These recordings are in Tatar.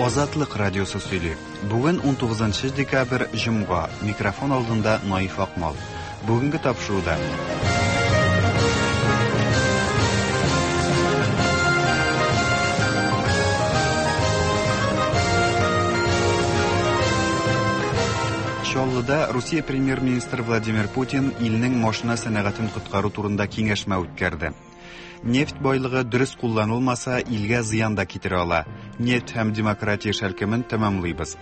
Азатлык радиосы сөйли. Бүген 19 декабрь, җомга. Микрофон алдында Наиф Акмал. Бүгенге тапшыруда. Чаллыда Русия премьер-министры Владимир Путин илнең машина сәнәгатен коткару турында киңәшмә үткәрде. Нефть байлыгы дөрес кулланылмаса, илгә зыян да китерә ала. Нефть һәм демократия шәлкемен тәмамлыйбыз.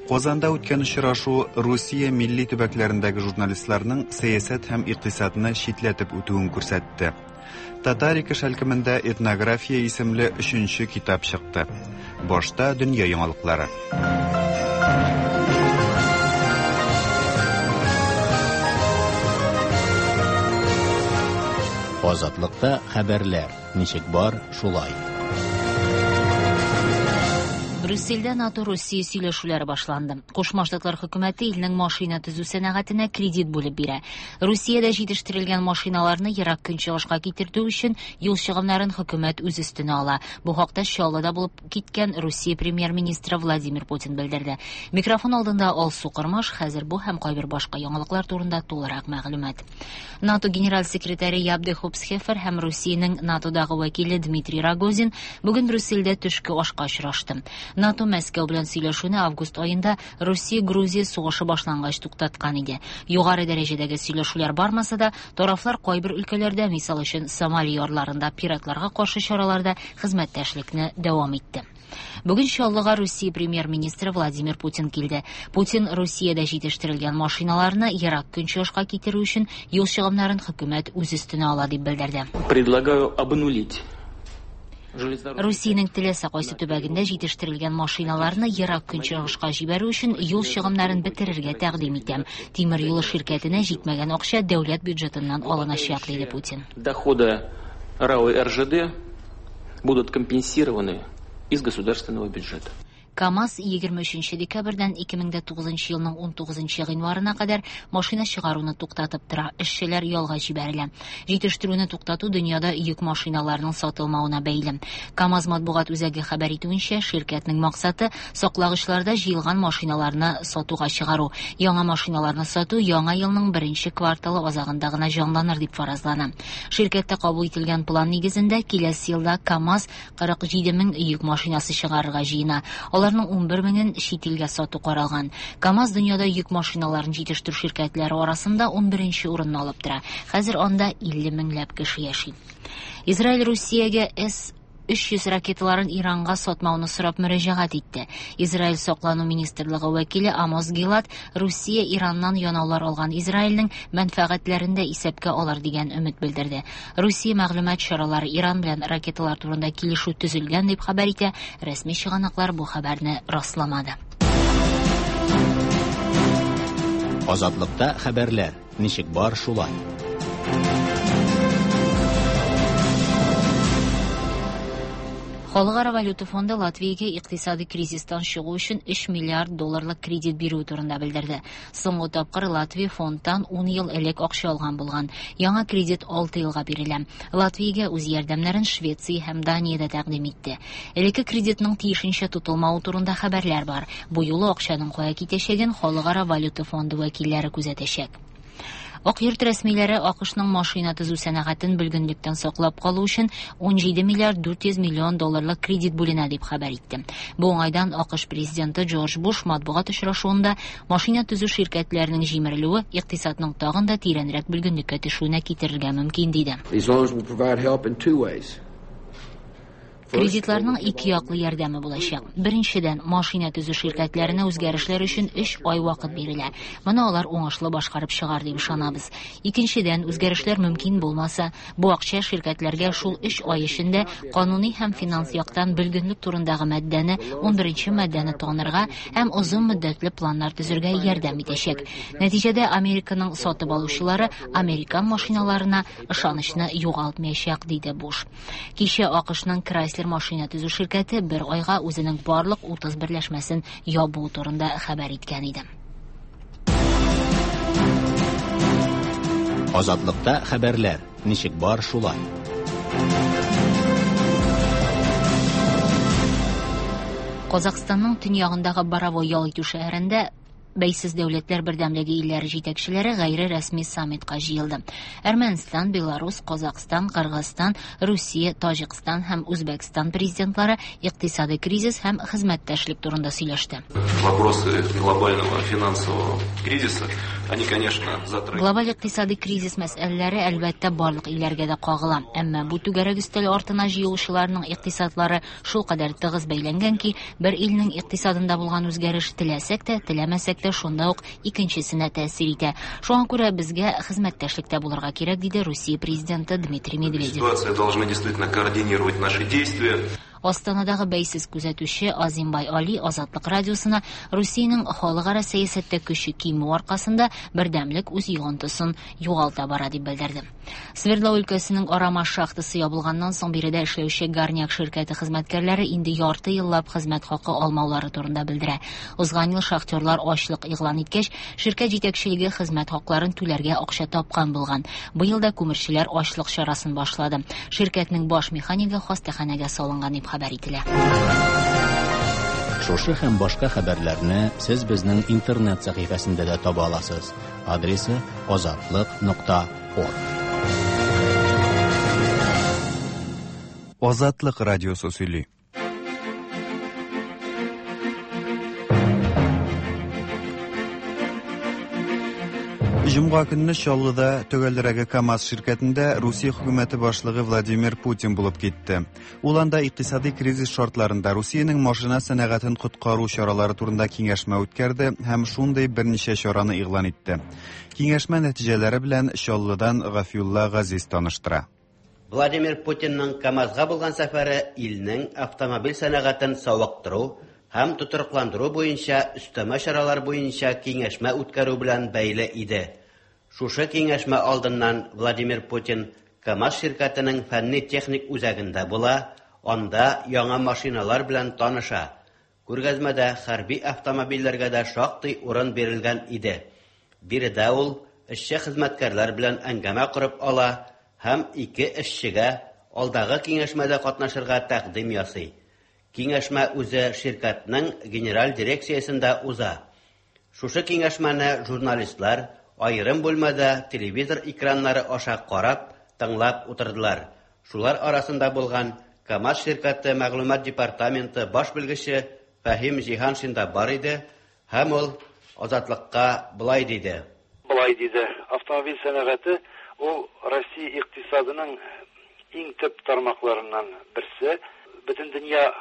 Казанда үткән очрашу Русия милли төбәкләрендәге журналистларның сәясәт һәм икътисадны читләтеп үтүен күрсәтте. Татарика шәлкемендә Этнография исемле өченче китап чыкты. Башта дөнья яңалыклары. Азатлыкта хәбәрләр ничек бар, шулай. Брюссельдә НАТО-Русия сөйләшүләре башланды. Кушма Штатлар хөкүмәте илнең машина төзү сәнәгатенә кредит бүлеп бирә. Русиядә җитештерелгән машиналарны Ерак Көнчыгышка китертү өчен юл чыгымнарын хөкүмәт үз өстенә ала. Бу хакта Чаллыда булып киткән Русия премьер-министры Владимир Путин белдерде. Микрофон алдында Алсу Кормаш, хәзер бу һәм кайбер башка яңалыклар турында тулырак мәгълүмат. НАТО генераль секретаре Яб де Хопсхефер һәм Русиянең НАТОдагы вәкиле Дмитрий Рогозин бүген Брюссельдә төшке ашка очрашты. НАТО Мәскәү белән сөйләшүне август аенда Русия-Грузия сугышы башлангач туктаткан иде. Югары дәрәҗәдәге сөйләшүләр бармаса да, тарафлар кайбер өлкәләрдә, мисал өчен, Сомали ярларында пиратларга каршы чараларда хезмәттәшлекне дәвам итте. Бүген Чаллыга Русия премьер-министры Владимир Путин килде. Путин Русиядә җитештерелгән машиналарны Ерак Көнчыгышка китерү өчен юл чыгымнарын хөкүмәт үз өстенә ала дип белдерде. Предлагаю обнулить. Русиянең теләсә кайсы төбәгендә җитештерелгән машиналарны Ерак Көнчыгышка җибәрү өчен юл чыгымнарын бетерергә тәкъдим итәм. Тимер юлы ширкәтенә җитмәгән акча дәүләт бюджетыннан алыначак, диде Путин. Доходы РАО и РЖД будут компенсированы из государственного бюджета. КАМАЗ 23 декабрьдән 2009 елның 19 гыйнварына кадәр машина чыгаруны туктатып тора, эшчеләр ялга җибәрелә. Җитештерүне туктату дөньяда йөк машиналарының сатылмавына бәйле. КАМАЗ матбугат үзәге хәбәр итүенчә, ширкәтнең максаты саклагычларда җыелган машиналарны сатуга чыгару. Яңа машиналарны сату яңа елның беренче кварталы азагында гына җанланыр дип фаразлана. Ширкәттә кабул ителгән план нигезендә киләсе елда КАМАЗ 47 мең йөк машинасы чыгарырга җыена. Аларның 11 меңен чит илгә сату каралган. КАМАЗ дөньяда йөк машиналарын җитештерү ширкәтләре арасында 11 урынны алып тора. Хәзер анда 50 меңләп кеше яши. Израиль Русиягә С 300 ракеталарын Иранга сатмауны сорап мөрәҗәгать итте. Израиль саклану министрлыгы вәкиле Амос Гилад Русия Ираннан янаулар алган Израильнең мәнфәгатьләрен дә исәпкә алыр дигән өмет белдерде. Русия мәгълүмат чаралары Иран белән ракеталар турында килешү төзелгән дип хәбәр итә. Рәсми чыганаклар бу хәбәрне расламады. Азатлыкта хәбәрләр ничек бар, шулай. Халыкара валюта фонды Латвиягә икътисади кризистан чыгу өчен 3 миллиард долларлык кредит бирүе турында белдерде. Соңгы тапкыр Латвия фондтан 10 ел элек акча алган булган. Яңа кредит 6 елга бирелә. Латвиягә үз ярдәмнәрен Швеция һәм Дания дә тәкъдим итте. Элекке кредитның тиешенчә тотылмавы турында хәбәрләр бар. Бу юлы акчаның кая китәчәген Халыкара валюта фонды вәкилләре күзәтәчәк. Ак йорт рәсмиләре АКШның машина төзү сәнәгатен бөлгенлектән саклап калу өчен 17 миллиард 400 миллион долларлык кредит бүленә дип хәбәр итте. Бу уңайдан АКШ президенты Джордж Буш матбугат очрашуында машина төзү ширкәтләренең җимерелүе икътисадның тагын да тирәнрәк бөлгенлеккә төшүенә китерергә мөмкин диде. These loans will provide help in two ways. Кредитларның ике яклы ярдәме булачак. Беренчедән, машина төзү ширкәтләренә үзгәрешләр өчен 3 ай вакыт бирелә. Моны алар уңышлы башкарып чыгар дип ышанабыз. Икенчедән, үзгәрешләр мөмкин булмаса, бу акча ширкәтләргә шул 3 ай эчендә кануни һәм финанс яктан бөлгенлек турындагы маддәне, 11 маддәне танырга һәм озын мөддәтле планнар төзергә ярдәм итәчәк. Нәтиҗәдә Американың сатып алучылары американ машиналарына ышанычны югалтмаячак, диде Буш. Кичә АКШның Chrysler машина төзү ширкәте бер айга үзенең барлык 30 берләшмәсен ябу турында хәбәр иткән иде. Азатлыкта хәбәрләр ничек бар, шулай. Казакъстанның төньягындагы Боровой ял итү шәһәрендә Бәйсез дәүләтләр бердәмлеге илләре җитәкчеләре гайре рәсми саммитка җыелды. Әрмәнстан, Беларус, Казакъстан, Кыргызстан, Русия, Таҗикстан һәм Үзбәкстан президентлары икътисадый кризис һәм хезмәттәшлек турында сөйләште. Вопросы глобального финансового кризиса, они, конечно, затрагивают. Глобаль икътисадый кризис мәсьәләләре, әлбәттә, барлык илләргә дә кагыла. Әмма бу түгәрәк өстәл артына җыелучыларның икътисадлары шулкадәр тыгыз бәйләнгән ки, бер илнең икътисадында булган үзгәреш теләсәк тә, теләмәсәк тә шунда ук икенчесенә тәэсир итә. Шуңа күрә безгә хезмәттәшлектә булырга кирәк, диде Русия президенты Дмитрий Медведев. Ситуация должны действительно координировать наши действия. Астанадагы бәйсез күзәтүче Азимбай Али Азатлык радиосына Русиянең халыкара сәясәттә көче кимү аркасында бердәмлек үз йогынтысын югалта бара дип белдерде. Свердлау өлкәсенең Арама шахтасы ябылганнан соң биредә эшләүче Горняк ширкәте хезмәткәрләре инде ярты еллап хезмәт хакы алмаулары турында белдерә. Узган ел шахтерлар ачлык игълан иткәч, ширкәт җитәкчелеге хезмәт хакларын түләргә акча тапкан булган. Быел да күмерчеләр ачлык чарасын башлады. Ширкәтнең баш механигы хастаханәгә салынган дип хәбәр ителә. Шушы һәм башка хәбәрләрне сез безнең интернет сәхифәсендә дә таба аласыз. Адресы azatliq.org. Азатлык радиосы сөйли. Җомга көнне Чаллыда, төгәлрәге КАМАЗ ширкәтендә Русия хөкүмәте башлыгы Владимир Путин булып китте. Ул анда икътисади кризис шартларында Русиянең машина сәнәгатен коткару чаралары турында киңәшмә үткәрде һәм шундый берничә чараны игълан итте. Киңәшмә нәтиҗәләре белән Чаллыдан Гафиулла Газиз таныштыра. Владимир Путинның КАМАЗга булган сәфәре илнең автомобиль сәнәгатен савыктыру һәм тотрыкландыру буенча өстәмә чаралар буенча киңәшмә үткәрү белән бәйле иде. Шушы киңәшмә алдыннан Владимир Путин КАМАЗ ширкәтенең фәнни-техник үзәгендә була, анда яңа машиналар белән таныша. Күргәзмәдә хәрби автомобильләргә дә шактый урын бирелгән иде. Биредә ул эшче хезмәткәрләр белән әңгәмә корып ала һәм ике эшчегә алдагы киңәшмәдә катнашырга тәкъдим ясый. Киңәшмә үзе ширкәтнең генераль дирекциясендә уза. Шушы киңәшмәне журналистлар аерым бүлмәдә телевизор экраннары аша карап, тыңлап утырдылар. Шулар арасында булган КАМАЗ ширкәте мәгълүмат департаменты баш белгече Фәһим Җиһаншин да бар иде һәм ул Азатлыкка болай диде. Болай диде: Автомобиль сәнәгате ул Россия икътисадының иң төп тармакларыннан берсе. Бөтен дөнья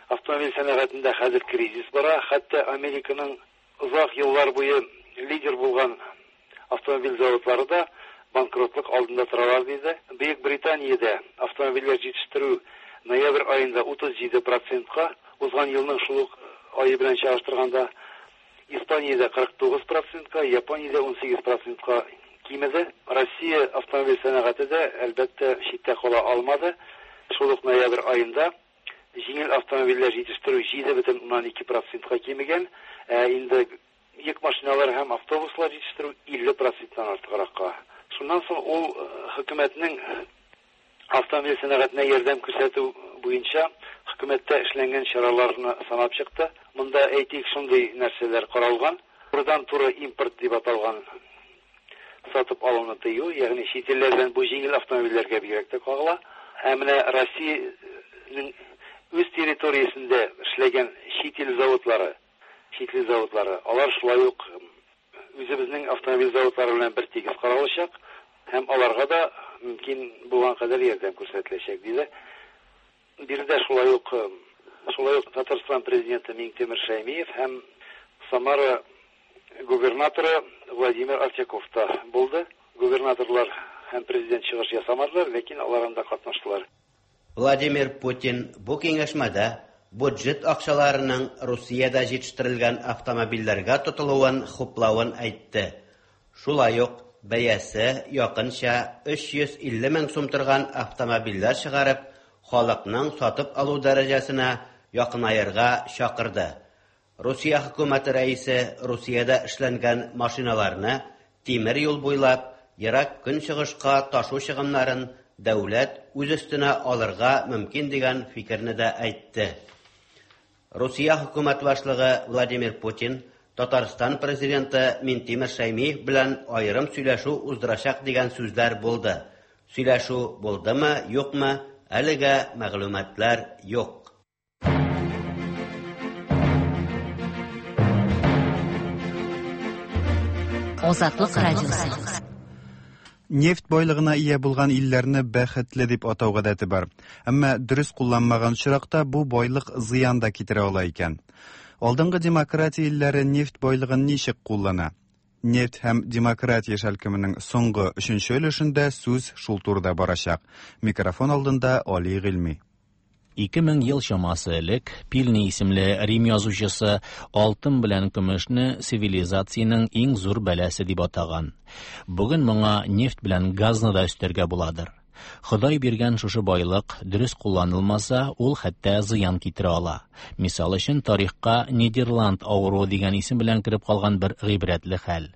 автомобиль сәнәгатендә хәзер кризис бара. Хәтта Американың озак еллар буе лидер булган автомобиль заводлары да банкротлык алдында торалар, диде. Бөек Британиядә автомобильләр җитештерү ноябрь аенда 37 процентка, узган елның шул ук ае белән чагыштырганда, Испаниядә 49 процентка, Япониядә 18 процентка кимеде. Россия автомобиль сәнәгате дә, әлбәттә, читтә кала алмады. Шул ук ноябрь аенда җиңел автомобильләр җитештерү 7,2 процентка кимегән, ә инде йөк машиналар һәм автобуслар җитештерү 50 проценттан артыгракка. Шуннан соң ул хөкүмәтнең автомобиль сәнәгатенә ярдәм күрсәтү буенча хөкүмәттә эшләнгән чараларны санап чыкты. Монда, әйтик, шундый нәрсәләр каралган: турыдан-туры импорт дип аталган сатып алуны тыю, ягъни чит илләрдән, бу җиңел автомобильләргә бигрәк тә кагыла. Ә менә Россиянең үз территориясендә эшләгән чит ил заводлары, чит ил заводлары, алар шулай ук үзебезнең автомобиль заводлары белән бер тигез каралачак һәм аларга да мөмкин булган кадәр ярдәм күрсәтеләчәк, диде. Биредә шулай ук Татарстан президенты Миңтимер Шәймиев һәм Самара губернаторы Владимир Артяков та булды. Губернаторлар һәм президент чыгыш ясамадылар, ләкин алар анда катнаштылар. Владимир Путин бу киңәшмәдә бюджет акчаларының Русиядә җитештерелгән автомобильләргә тотылуын хуплавын әйтте. Шулай ук бәясе якынча 350 мең сум торган автомобильләр чыгарып, халыкның сатып алу дәрәҗәсенә якынаерга чакырды. Русия хөкүмәте рәисе Русиядә эшләнгән машиналарны тимер юл буйлап Ерак Көнчыгышка ташу чыгымнарын дәүләт үз өстенә алырга мөмкин дигән фикерне дә әйтте. Русия хөкүмәт башлыгы Владимир Путин Татарстан президенты Минтимер Шәймиев белән аерым сөйләшү уздырачак дигән сүзләр булды. Сөйләшү булдымы, юкмы, әлегә мәгълүматлар юк. Азатлык радиосы. Нефть байлыгына ия булган илләрне бәхетле дип атау гадәте бар. Әмма дөрес кулланмаган очракта бу байлык зыян да китерә ала икән. Алдынгы демократия илләре нефть байлыгын ничек куллана? Нефть һәм демократия шәлкеменең соңгы өченче өлешендә сүз шул турыда барачак. Микрофон алдында Али Гыйльми. 2000 ел чамасы элек Пильни исемле Рим язучысы алтын белән көмешне цивилизациянең иң зур бәласе дип атаган. Бүген моңа нефть белән газны да өстәргә буладыр. Ходай биргән шушы байлык дөрес кулланылмаса, ул хәтта зыян китерә ала. Мисал өчен, тарихка Нидерланд авыруы дигән исем белән кереп калган бер гыйбрәтле хәл.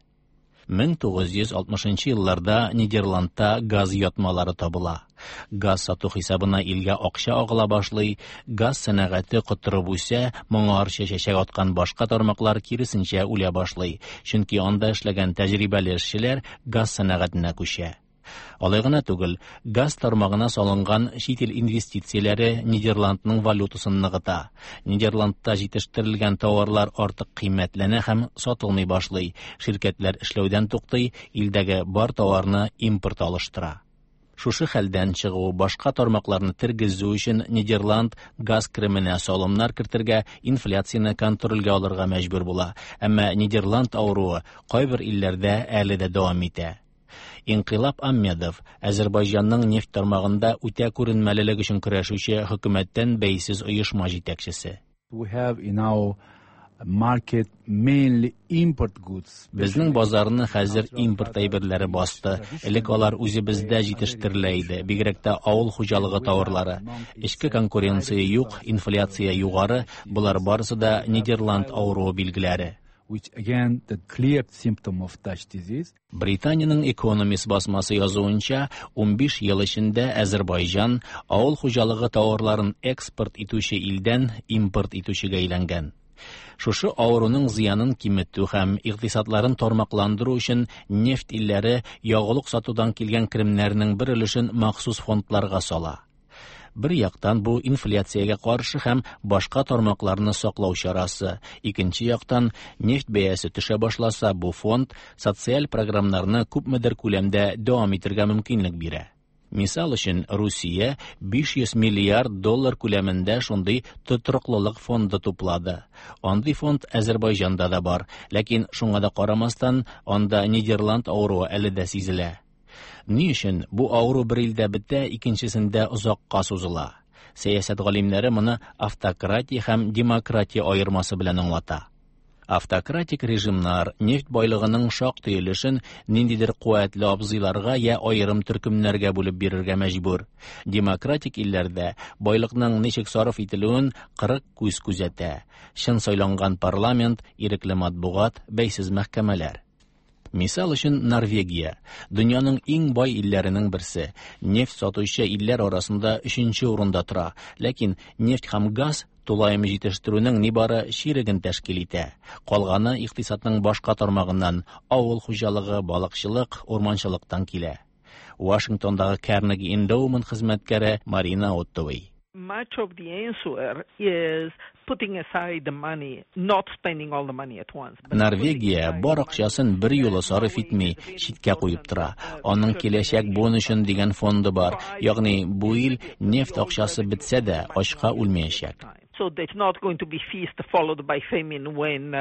1960 елларда Нидерландта газ ятмалары табыла. Газ сату хисабына илгә акча агыла башлый, газ сәнәгате котырып үсә, моңарчы чәчәк аткан башка тармаклар киресенчә үлә башлый, чөнки анда эшләгән тәҗрибәле эшчеләр газ сәнәгатенә күчә. Алай гына түгел, газ тармагына салынган чит ил инвестицияләре Нидерландның валютасын ныгыта. Нидерландта җитештерелгән тауарлар артык кыйммәтләнә һәм сатылмый башлый. Ширкәтләр эшләүдән туктый, илдәге бар тауарны импорт алыштыра. Шушы хәлдән чыгу, башка тармакларны тергезү өчен Нидерланд газ кеременә салымнар кертергә, инфляцияне контрольгә алырга мәҗбүр була. Әмма Нидерланд авыруы кайбер илләрдә әле дә дәвам итә. Инкыйлаб Аммедов, Әзербайҗанның нефть тармагында үтә күренмәлелек өчен көрәшүче хөкүмәттән бәйсез оешма җитәкчесе. We have in our market mainly import goods. Безнең базарны хәзер импорт әйберләре басты. Элек алар үзебездә җитештерелә иде, бигрәк тә авыл хуҗалыгы тауарлары. Эчке конкуренция юк, инфляция югары, болар барысы да Нидерланд авыруы билгеләре. Which again the clear symptom of Dutch disease. Британиянең Economist басмасы язуынча, 15 ел эчендә Әзербайҗан авыл хуҗалыгы тауарларын экспорт итүче илдән импорт итүчегә әйләнгән. Шушы авыруның зыянын киметү һәм икътисадларын тармакландыру өчен нефть илләре ягулык сатудан килгән керемнәрнең бер өлешен махсус фондларга сала. Бер яктан бу инфляциягә каршы һәм башка тармакларны саклау чарасы, икенче яктан нефть бәясе төшә башласа, бу фонд социаль програмнарны күпмедер күләмдә дәвам итәргә мөмкинлек бирә. Мисал өчен, Русия 500 миллиард доллар күләмендә шундый тотрыклылык фонды туплады. Андый фонд Әзербайҗанда да бар, ләкин шуңа да карамастан, анда Нидерланд авыруы әле дә сизелә. Ни өчен бу авыру бер илдә бетә, икенчесендә озакка сузыла? Сәясәт галимнәре моны автократия һәм демократия аермасы белән аңлата. Автократик режимнар нефть байлыгының шактый өлешен ниндидер куәтле абзыйларга я аерым төркемнәргә бүлеп бирергә мәҗбүр. Демократик илләрдә байлыкның ничек сарыф ителүен 40 күз күзәтә. Чын сайланган парламент, ирекле матбугат, бәйсез мәхкәмәләр. Мисал өчен, Норвегия, дөньяның иң бай илләренең берсе, нефть сатучы илләр арасында 3нче урында тора, ләкин нефть һәм газ тулаем җитештерүнең нибары чиреген тәшкил итә. Калганы икътисадның башка тармагыннан, авыл хуҗалыгы, балыкчылык, урманчылыктан килә. Вашингтондагы Carnegie Endowment хезмәткәре Марина Оттовой. Much of the answer is putting aside the money, not spending all the money at once. Норвегия бар акчасын бер юлы сарыф итми, читкә куеп тора. Аның киләчәк буын өчен дигән фонды бар. Ягъни бу ил нефть акчасы бетсә дә, ачка үлмәячәк. So that's not going to be feast followed by famine when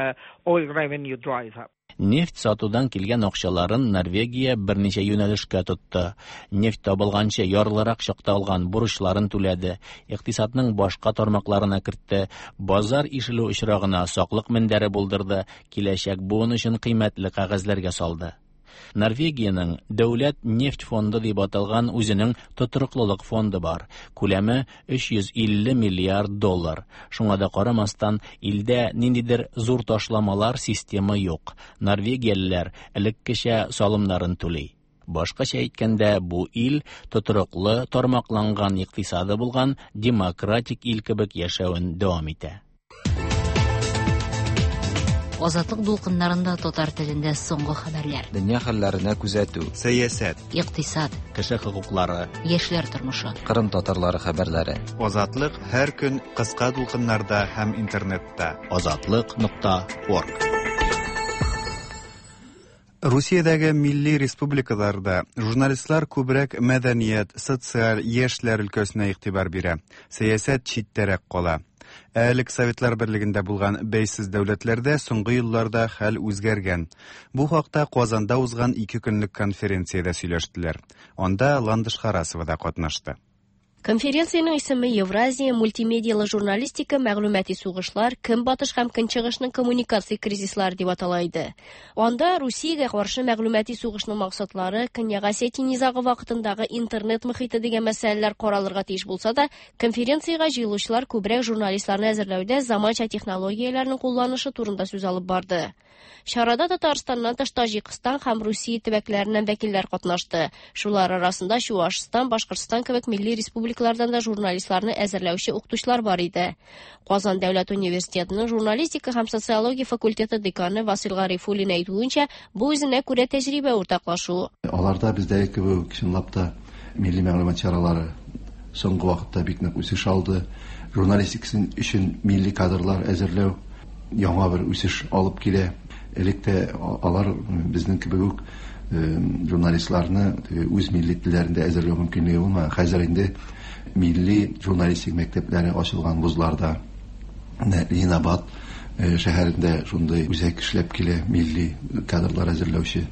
oil revenue dries up. Нефть сатудан килгән акчаларын Норвегия берничә юнәлешкә тотты. Нефть табылганчы ярлырак чакта алган бурычларын түләде, икътисадның башка тармакларына кертте, базар ишелү очрагына саклык мендәре булдырды, киләчәк буын өчен кыйммәтле кәгазьләргә салды. Норвегиянең Дәүләт нефть фонды дип аталган үзенең тотрыклылык фонды бар. Күләме 350 миллиард доллар. Шуңа да карамастан, илдә ниндидер зур ташламалар системы юк. Норвегиялеләр элеккечә салымнарын түли. Башкача әйткәндә, бу ил тотрыклы, тармакланган икътисады булган демократик ил кебек яшәвен дәвам итә. Азатлык дулкыннарында татар телендә соңгы хәбәрләр. Дөнья хәлләренә күзәтү. Сәясәт. Икътисад. Кеше хокуклары. Яшьләр тормышы. Кырым татарлары хәбәрләре. Азатлык һәр көн кыска дулкыннарда һәм интернетта. Азатлык.орг. Русиядәге милли республикаларда журналистлар күбрәк мәдәният, социаль, яшьләр өлкәсенә игътибар бирә. Сәясәт читтәрәк кала. Ә элек Советлар берлегендә булган бәйсез дәүләтләрдә соңгы елларда хәл үзгәргән. Бу хакта Казанда узган ике көнлек конференциядә сөйләштеләр. Анда Ландыш Харасова да катнашты. Конференциянең исеме Евразия, мультимедиялы журналистика, мәгълүмати сугышлар, көнбатыш һәм көнчыгышның коммуникация кризислары дип атала иде. Анда Русиягә каршы мәгълүмати сугышның максатлары, Көньяк Осетия низагы вакытындагы интернет мохите дигән мәсьәләләр каралырга тиеш булса да, конференциягә җыелучылар күбрәк журналистларны әзерләүдә заманча технологияләрнең кулланышы турында сүз алып барды. Чарада Татарстаннан тыш Таҗикстан һәм Русия төбәкләреннән вәкилләр катнашты. Шулар арасында Чуашстан, Башкортстан кебек милли республикалардан да журналистларны әзерләүче укытучылар бар иде. Казан дәүләт университетының журналистика һәм социология факультеты деканы Васил Гарифуллин әйтүенчә, бу үзенә күрә тәҗрибә уртаклашу. Аларда бездәге кебек чынлап та милли мәгълүмат чаралары соңгы вакытта бик нык үсеш алды. Журналистика өчен милли кадрлар әзерләү яңа бер үсеш алып килә. Элек тә алар безнең кебек үк журналистларны үз милли телләрендә әзерләү мөмкинлеге булмаган. Хәзер инде милли журналистик мәктәпләре ачылган вузларда, Ленинабад шәһәрендә шундый үзәк эшләп килә, милли кадрлар әзерләүче.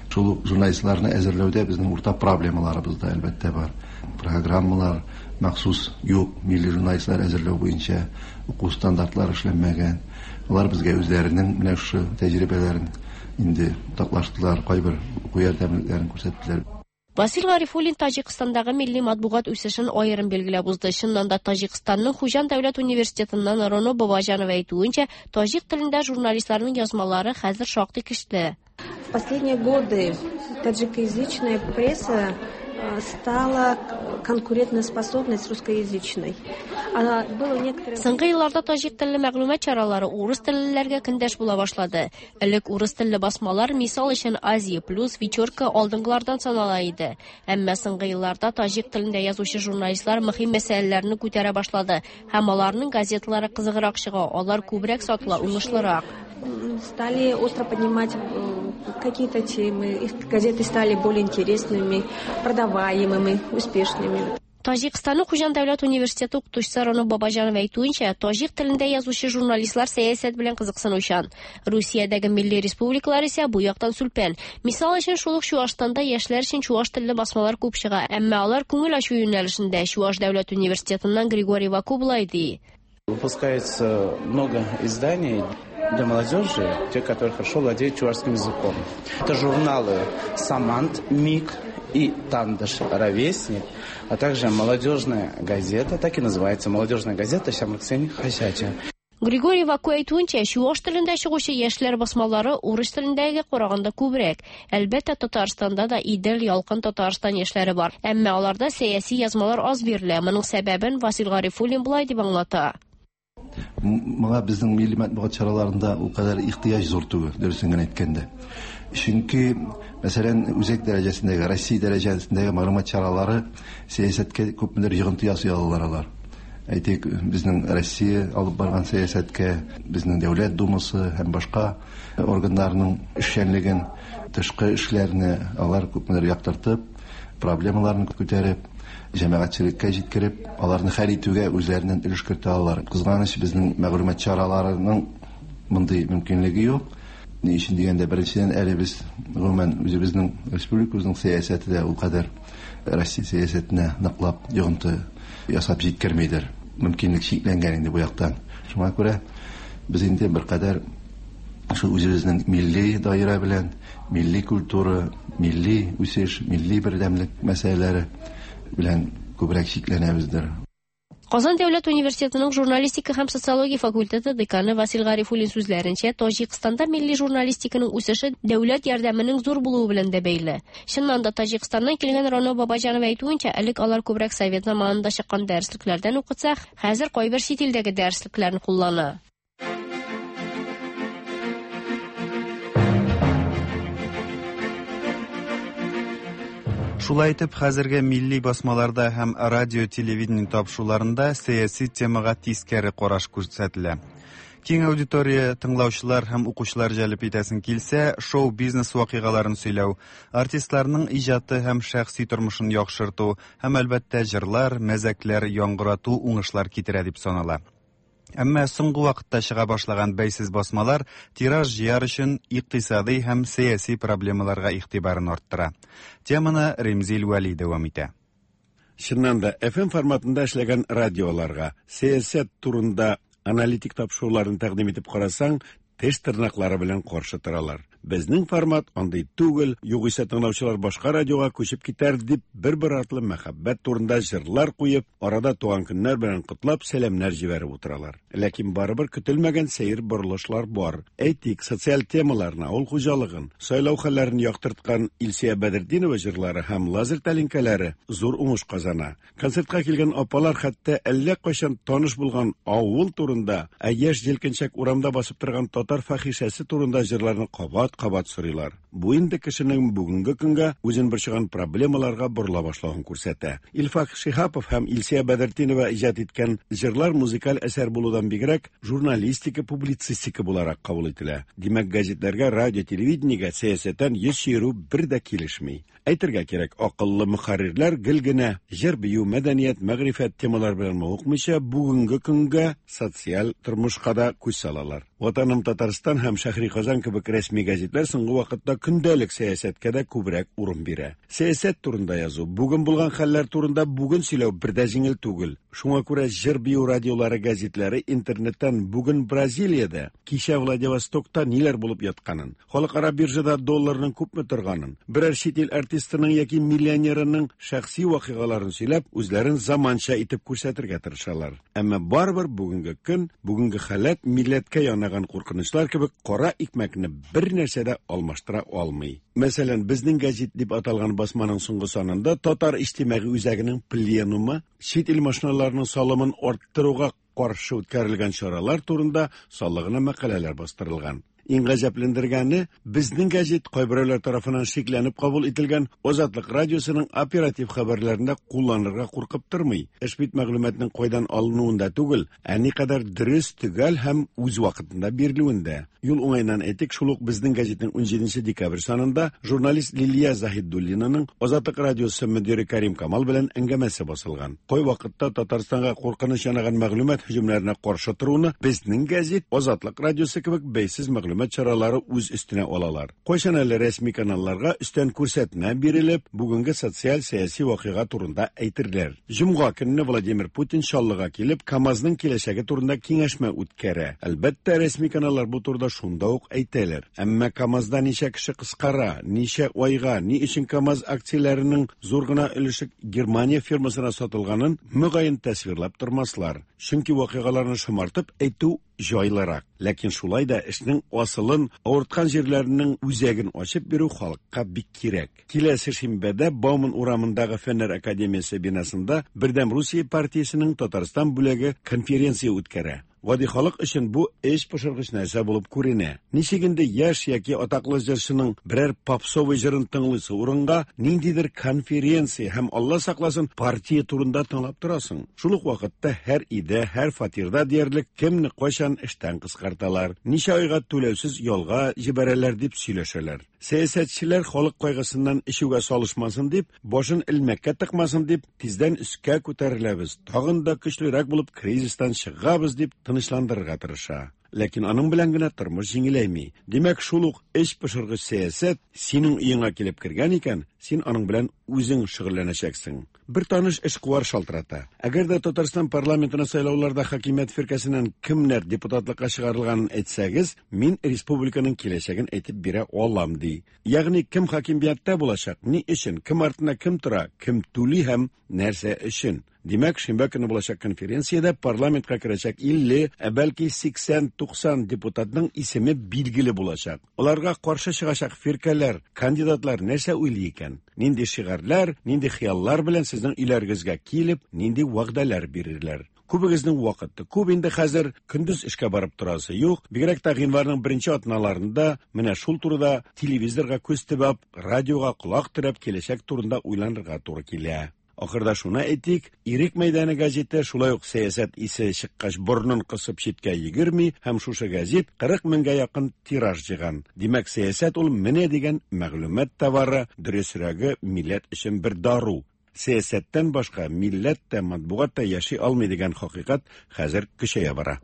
Шул ук журналистларны әзерләүдә безнең уртак проблемаларыбыз да әлбәттә бар. Программалар махсус юк, милли журналистлар әзерләү буенча уку стандартлары эшләнмәгән. Алар безгә үзләренең менә шушы тәҗрибәләрен инде уртаклаштылар, кайбер уку ярдәмлекләрен күрсәттеләр. Васил Гарифуллин Таҗикстандагы милли матбугат үсешен аерым билгеләп узды. Чыннан да Таҗикстанның Хуҗан дәүләт университетыннан Роно Бабаҗанова әйтүенчә, таҗик телендә журналистларның язмалары хәзер шактый көчле. В последние годы таджикоязычная пресса стала конкурентоспособной с русскоязычной. Было некоторое... Соңгы елларда таҗик телле мәгълүмат чаралары урыс теллеләргә көндәш була башлады. Элек урыс телле басмалар, мисал өчен Азия плюс, Вечерка алдынгылардан санала иде. Әмма соңгы елларда таҗик телендә язучы журналистлар мөһим мәсьәләләрне күтәрә башлады һәм аларның газеталары кызыграк чыга, алар күбрәк сатыла, уңышлырак. Стали остро поднимать какие-то темы, их газеты стали более интересными, продаваемыми, успешными. Таҗикстанның Хуҗан дәүләт университеты укытучысы Роно Бабаҗанова әйтүенчә, таҗик телендә язучы журналистлар сәясәт белән кызыксынучан. Русиядәге милли республикалар исә бу яктан сүлпән. Мисал өчен, шул ук Чуашстанда яшьләр өчен чуаш телле басмалар күп чыга, әмма алар күңел ачу юнәлешендә. Чуаш дәүләт университетыннан Григорий Ваку болай ди. Выпускается много изданий для молодежи, те, которые хорошо владеют чувашским языком. Это журналы «Самант», «Миг» и «Тандыш», «Ровесник», а также молодежная газета, так и называется «Молодежная газета Ҫамрӑксен хаҫачӗ». Григорий Ваку әйтүенчә, чуаш телендә чыгучы яшьләр басмалары урыс телендәгегә караганда күбрәк. Әлбәттә, Татарстанда да Идел, Ялкын Татарстан яшьләре бар. Әмма аларда сәяси язмалар аз бирелә. Моның сәбәбен Васил Гарифуллин болай дип аңлата. Моңа безнең милли матбугат чараларында ул кадәр ихтыяҗ зур түгел, дөресен генә әйткәндә. Чөнки, мәсәлән, үзәк дәрәҗәсендәге, Россия дәрәҗәсендәге мәгълүмат чаралары сәясәткә күпмедер йогынты ясый алалар алар. Әйтик, безнең Россия алып барган сәясәткә, безнең Дәүләт Думасы һәм башка органнарның эшчәнлеген, тышкы эшләрне алар күпмедер яктыртып, проблемаларны күтәреп, җәмәгатьчелеккә җиткереп, аларны хәл итүгә үзләреннән өлеш кертә алалар. Кызганыч, безнең мәгълүмат чараларының мондый мөмкинлеге юк. Ни өчен дигәндә, беренчедән, әле без гомумән үзебезнең республикабызның сәясәте дә ул кадәр Россия сәясәтенә ныклап йогынты ясап җиткермидер. Мөмкинлек чикләнгән инде бу яктан. Шуңа күрә без инде беркадәр шул үзебезнең милли даирә белән, милли культура, милли үсеш, милли бердәмлек мәсьәләләре белән күбрәк чикләнәбездер. Казан дәүләт университетының журналистика һәм социология факультеты деканы Васил Гарифуллин сүзләренчә, Таҗикстанда милли журналистиканың үсеше дәүләт ярдәменең зур булуы белән дә бәйле. Чыннан да Таҗикстаннан килгән Роно Бабаҗанова әйтүенчә, элек алар күбрәк совет заманында чыккан дәреслекләрдән укытса, хәзер кайбер чит илдәге дәреслекләрне куллана. Шулай итеп, хәзерге милли басмаларда һәм радио-телевидение тапшыруларында сәяси темага тискәре караш күрсәтелә. Киң аудитория, тыңлаучылар һәм укучылар җәлеп итәсең килсә, шоу-бизнес вакыйгаларын сөйләү, артистларның иҗаты һәм шәхси тормышын яхшырту һәм, әлбәттә, җырлар, мәзәкләр яңгырату уңышлар китерә дип санала. Әмма соңгы вакытта чыга башлаган бәйсез басмалар тираж җыяр өчен икътисадый һәм сәяси проблемаларга игътибарын арттыра. Теманы Ремзил Вәли дәвам итә. Чыннан да, FM форматында эшләгән радиоларга сәясәт турында аналитик тапшыруларын тәкъдим итеп карасаң, теш тырнаклары белән каршы торалар. Безнең формат андый түгел, югыйсә тыңлаучылар башка радиога күчеп китәр дип, бер-бер артлы мәхәббәт турында җырлар куеп, арада туган көннәр белән котлап, сәламнәр җибәреп утыралар. Ләкин барыбер көтелмәгән сәер борылышлар бар. Әйтик, социаль темаларны, авыл хуҗалыгын, сайлау хәлләрен яктырткан Илсөя Бәдретдинова җырлары һәм лазер тәлинкәләре зур уңыш казана. Концертка килгән апалар хәтта әллә кайчан таныш булган авыл турында, ә яшь җилкенчәк урамда басып торган татар фахишәсе турында җырларны кабат-кабат сорыйлар. Бу инде кешенең бүгенге көнгә үзен борчыган проблемаларга борыла башлавын күрсәтә. Илфак Шиһапов һәм Илсөя Бәдертдинова иҗат иткән җырлар музыкаль әсәр булудан бигрәк, журналистика, публицистика буларак кабул ителә. Димәк, газетләргә, радио, телевидениегә сәясәттән йөз чөерү бер дә килешми. Әйтергә кирәк, акыллы мөхәррирләр гел генә җыр-бию, мәдәният, мәгърифәт темалары белән мавыкмыйча, бүгенге көнгә, социаль тормышка да күз салалар. Ватаным Татарстан һәм Шәһри Казан кебек рәсми гәзитләр соңгы вакытта көндәлек сәясәткә дә күбрәк урын бирә. Сәясәт турында язу, бүген булган хәлләр турында бүген сөйләү бер дә җиңел түгел. Шуңа күрә җыр-бию радиолары, гәзитләре интернеттан бүген Бразилиядә, кичә Владивостокта ниләр булып ятканын, Халыкара биржада долларның күпме торганын, берәр чит ил артистының яки миллионерының шәхси вакыйгаларын сөйләп, үзләрен заманча итеп күрсәтергә тырышалар. Әмма барыбер бүгенге көн, бүгенге халәт милләткә янаган куркынычлар кебек кара икмәкне бер нәрсә дә алмаштыра алмый. Мәсәлән, Безнең гәзит дип аталган басманың соңгы санында Татар иҗтимагый үзәгенең пленумы чит ил машиналарының салымын арттыруга каршы үткәрелгән чаралар турында саллы гына мәкаләләр бастырылган. Иң гаҗәпләндергәне, Безнең гәзит кайберәүләр тарафыннан шикләнеп кабул ителгән Азатлык радиосының оператив хәбәрләрендә кулланырга куркып тормый. Эш бит мәгълүматның кайдан алынуында түгел, ә никадәр дөрес, төгәл һәм үз вакытында бирелүендә. Юл уңаеннан әйтик, шул ук Безнең гәзитнең унҗиденче декабрь санында журналист Лилия Заһидуллинаның Азатлык радиосы мөдире Кәрим Камал белән әңгәмәсе басылган. Кайвакытта Татарстанга куркыныч янаган мәгълүмат һөҗүмнәренә каршы торуны Безнең гәзит, Азатлык радиосы кебек бәйсез мәгълүмат чаралары үз өстенә алалар. Кайчан әле рәсми каналларга өстән күрсәтмә бирелеп, бүгенге социаль-сәяси вакыйга турында әйтерләр. Җомга көнне Владимир Путин Чаллыга килеп, КАМАЗның киләчәге турында киңәшмә үткәрә. Әлбәттә, рәсми каналлар бу турыда шунда ук әйтәләр. Әмма КАМАЗда ничә кеше кыскара, ничә айга, ни өчен КАМАЗ акцияләренең зур гына өлеше Германия фирмасына сатылганын, мөгаен, тасвирлап тормаслар. Чөнки вакыйгаларны шомартып әйтү җайлырак. Ләкин шулай да эшнең асылын, авырткан җирләренең үзәген ачып бирү халыкка бик кирәк. Киләсе шимбәдә Бауман урамындагы Фәннәр академиясе бинасында Бердәм Русия партиясенең Татарстан бүлеге конференция үткәрә. Гади халык өчен бу эч пошыргыч нәрсә булып күренә. Ничек инде яшь яки атаклы җырчының берәр попсовый җырын тыңлыйсы урынга ниндидер конференция һәм, Алла сакласын, партия турында тыңлап торасың? Шул ук вакытта һәр өйдә, һәр фатирда диярлек кемне кайчан эштән кыскарталар, ничә айга түләүсез ялга җибәрәләр дип сөйләшәләр. Сәясәтчеләр халык кайгысыннан эчүгә салышмасын дип, башын элмәккә тыкмасын дип, тиздән өскә күтәреләбез, тагын да көчлерәк булып кризистан чыгабыз дип тынычландырырга тырыша. Ләкин аның белән генә тормыш җиңеләйми. Димәк, шул ук эч пошыргыч сәясәт синең өеңә килеп кергән икән, син аның белән үзең шөгыльләнәчәксең. Бер таныш эшкуар шалтырата. Әгәр дә Татарстан парламентына сайлауларда хакимият фиркәсеннән кемнәр депутатлыкка чыгарылганын әйтсәгез, мин республиканың киләчәген әйтеп бирә алам, ди. Ягъни кем хакимияттә булачак, ни өчен, кем артында кем тора, кем түли һәм нәрсә өчен. Димәк, шимбә көне булачак конференциядә парламентка керәчәк 50, ә бәлки 80-90 депутатның исеме билгеле булачак. Аларга каршы чыгачак фиркәләр, кандидатлар нәрсә уйлый икән? Нинди шигарьләр, нинди хыяллар белән сезнең өйләрегезгә килеп, нинди вәгъдәләр бирерләр? Күбегезнең вакыты күп инде хәзер, көндез эшкә барып торасы юк. Бигрәк тә гыйнварның беренче атналарында менә шул турыда телевизорга күз төбәп, радиога колак терәп киләчәк турында уйланырга туры килә. Ахырда шуны әйтик, Ирек мәйданы газеты шулай ук сәясәт исе чыккач борынын кысып читкә йөгерми һәм шушы газет 40 меңгә якын тираж җыйган. Димәк, сәясәт ул менә дигән мәгълүмат товары, дөресрәге, милләт өчен бер дару. Сәясәттән башка милләт тә, матбугат та яши алмый дигән хакыйкать хәзер көчәя бара.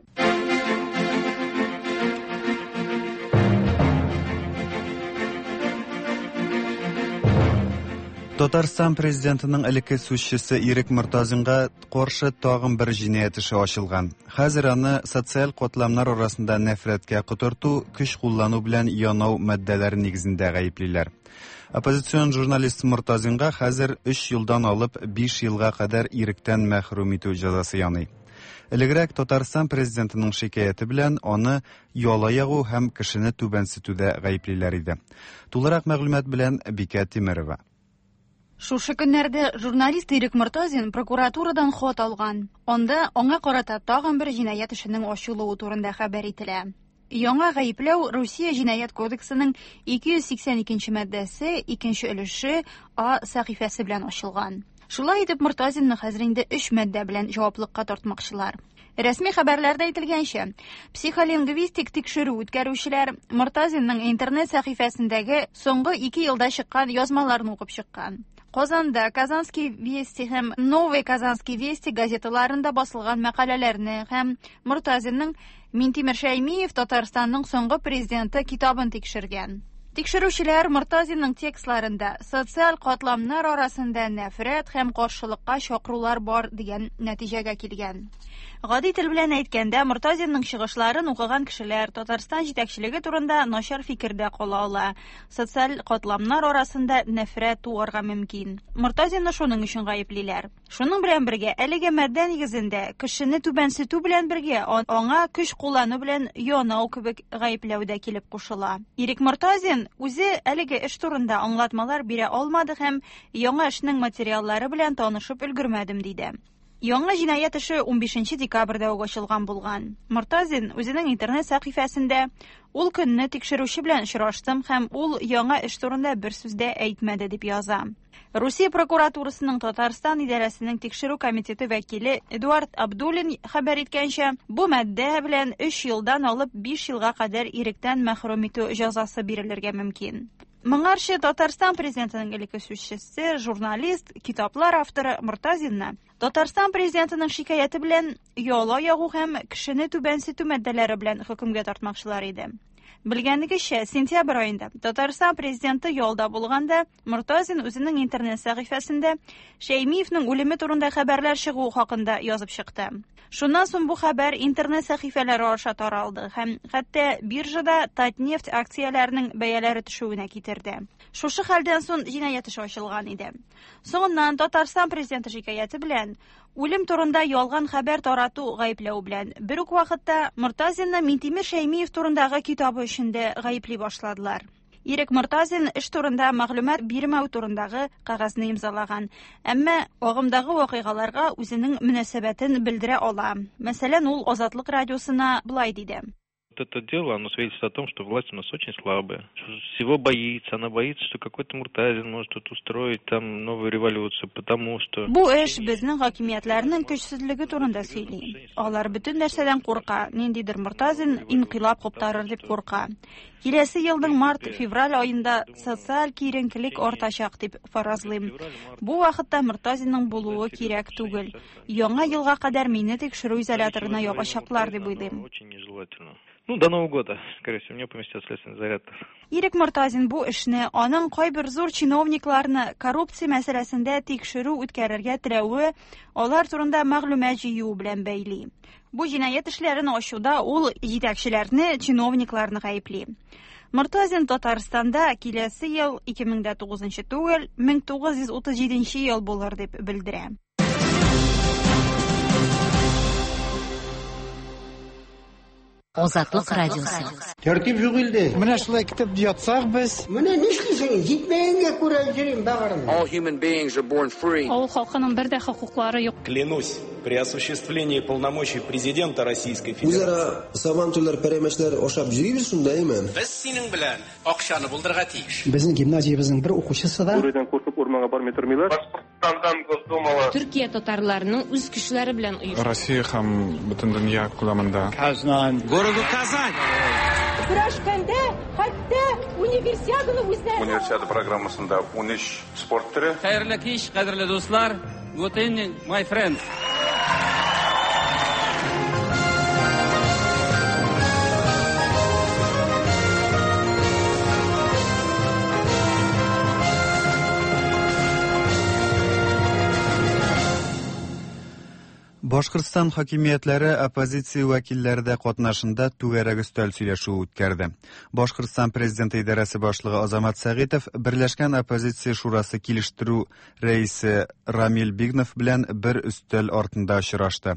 Татарстан президентының элекке сүзчесе Ирек Мортазинга каршы тагын бер җинаять эше ачылган. Хәзер аны социаль катламнар арасында нәфрәткә котырту, көч куллану белән янау маддәләре нигезендә гаеплиләр. Оппозицион журналист Мортазинга хәзер 3 елдан алып 5 елга кадәр иректән мәхрүм итү җәзасы яный. Элегрәк Татарстан президентының шикаяте белән аны яла ягу һәм кешене түбәнсетүдә гаеплиләр иде. Тулырак мәгълүмат белән Бикә Тимерова. Шушы көннәрдә журналист Ирек Мортазин прокуратурадан хат алган. Анда аңа карата тагын бер җинаять эшенең ачылуы турында хәбәр ителә. Яңа гаепләү Русия җинаять кодексының 282 нче маддәсе, икенче өлеше А сәхифәсе белән ачылган. Шулай итеп, Мортазинны хәзер инде өч маддә белән җаваплыкка тартмакчылар. Рәсми хәбәрләрдә әйтелгәнчә, психолингвистик тикшерү үткәрүчеләр Мортазинның интернет сәхифәсендәге соңгы ике елда чыккан язмаларын укып чыккан. Казанда Казанские вести һәм Новые Казанские вести газеталарында басылган мәкаләләрне һәм Мортазинның Минтимер Шәймиев Татарстанның соңгы президенты китабын тикшергән. Тикшерүчеләр Мортазинның текстларында социаль катламнар арасында нәфрәт һәм каршылыкка чакырулар бар дигән нәтиҗәгә килгән. Гади тел белән әйткәндә, Мортазинның чыгышларын укыган кешеләр Татарстан җитәкчелеге турында начар фикердә кала ала, социаль катламнар арасында нәфрәт туарга мөмкин. Мортазинны шуның өчен гаеплиләр. Шуның белән бергә, әлеге маддә нигезендә кешене түбәнсетү белән бергә аңа көч куллану белән янау кебек гаепләү дә килеп кушыла. Ирек Мортазин үзе әлеге эш турында аңлатмалар бирә алмады һәм яңа эшнең материаллары белән танышып өлгермәдем диде. Яңа җинаять эше 15 декабрьдә үк ачылган булган. Мортазин үзенең интернет сәхифәсендә Ул көнне тикшерүче белән очраштым һәм ул яңа эш турында бер сүз дә әйтмәде дип яза. Русия прокуратурасының Татарстан идарәсенең тикшерү комитеты вәкиле Эдуард Абдуллин хәбәр иткәнчә, бу маддә белән 3 елдан алып 5 елга кадәр иректән мәхрүм итү җәзасы бирелергә мөмкин. Моңарчы Татарстан президентының элекке сүзчесе, журналист, китаплар авторы Мортазинны Татарстан президентының шикаяте белән яла ягу һәм кешене түбәнсетү маддәләре белән хөкемгә тартмакчылар иде. Белгәнегезчә, сентябрь аенда Татарстан президенты ялда булганда, Мортазин үзенең интернет сәхифәсендә Шәймиевнең үлеме турында хәбәрләр чыгуы хакында язып чыкты. Шуннан соң бу хәбәр интернет сәхифәләре аша таралды һәм хәтта биржада Татнефть акцияләренең бәяләре төшүенә китерде. Шушы хәлдән соң җинаять эше ачылган иде. Соңыннан Татарстан президенты шикаяте белән үлем турында ялган хәбәр тарату гаепләү белән бер үк вакытта Мортазинны Минтимер Шәймиев турындагы китабы өчен дә гаепли башладылар. Ирек Мортазин эш турында мәгълүмат бирмәү турындагы кәгазьне имзалаган, әмма агымдагы вакыйгаларга үзенең мөнәсәбәтен белдерә ала. Мәсәлән, ул Азатлык радиосына болай диде. Это дело, оно свидетельствует о том, что власть у нас очень слабая. Всего боится, она боится, что какой-то Муртазин может тут устроить там новую революцию, потому что... Бу эш безнең хакимиятләрнең көчсезлеге турында сөйли. Алар бөтен нәрсәдән курка, ниндидер Муртазин инкыйлаб куптарыр дип курка. Киләсе елның март-февраль аенда социаль киеренкелек артачак дип фаразлыйм. Бу вакытта Муртазинның булуы кирәк түгел. Яңа елга кадәр мине тикшерү изоляторына ябачаклар дип уйлыйм. Ну, до Нового года, скорее всего, меня поместят в следственный изолятор. Ирек Мортазин бу эшне аның кайбер зур чиновникларны коррупция мәсьәләсендә тикшерү үткәрергә теләве, алар турында мәгълүмат җыюы белән бәйли. Бу җинаять эшләрен ачуда ул җитәкчеләрне, чиновникларны гаепли. Мортазин Татарстанда киләсе ел 2009 түгел, 1937 ел булыр дип белдерә. Азатлык радиосы. Тәртип юк илдә. Менә шулай көтеп ятсак без. Менә нишлисең? Җитмәгәнгә күрә йөрим бәгырем. All human beings are born free. Авыл халкының бер дә хокуклары юк. Клянусь, при осуществлении полномочий президента Российской Федерации. Үзара сабантуйлар, пәрәмәчләр ашап йөрибез шунда, әйме? Без синең белән акчаны булдырырга тиеш. Безнең гимназиябезнең бер укучысы да Бүредән куркып урманга бармый тормыйлар. Башкортстандан Госдумала. Төркия татарларының үз көчләре белән оешты. Россия һәм бөтен дөнья күләмендә. Казан. Городу Казань. Көрәшкәндә хәтта универсиаданы үзләре. Универсиада программасында 13 спорт төре. Хәерле кич, кадерле дуслар. Good evening, my friends. Башкортстан хакимиятләре оппозиция вәкилләре дә катнашында түгәрәк өстәл сөйләшүе үткәрде. Башкортстан президенты идарәсе башлыгы Азамат Сәгыйтов Берләшкән оппозиция шурасы килештерү рәисе Рамил Бигнов белән бер өстәл артында очрашты.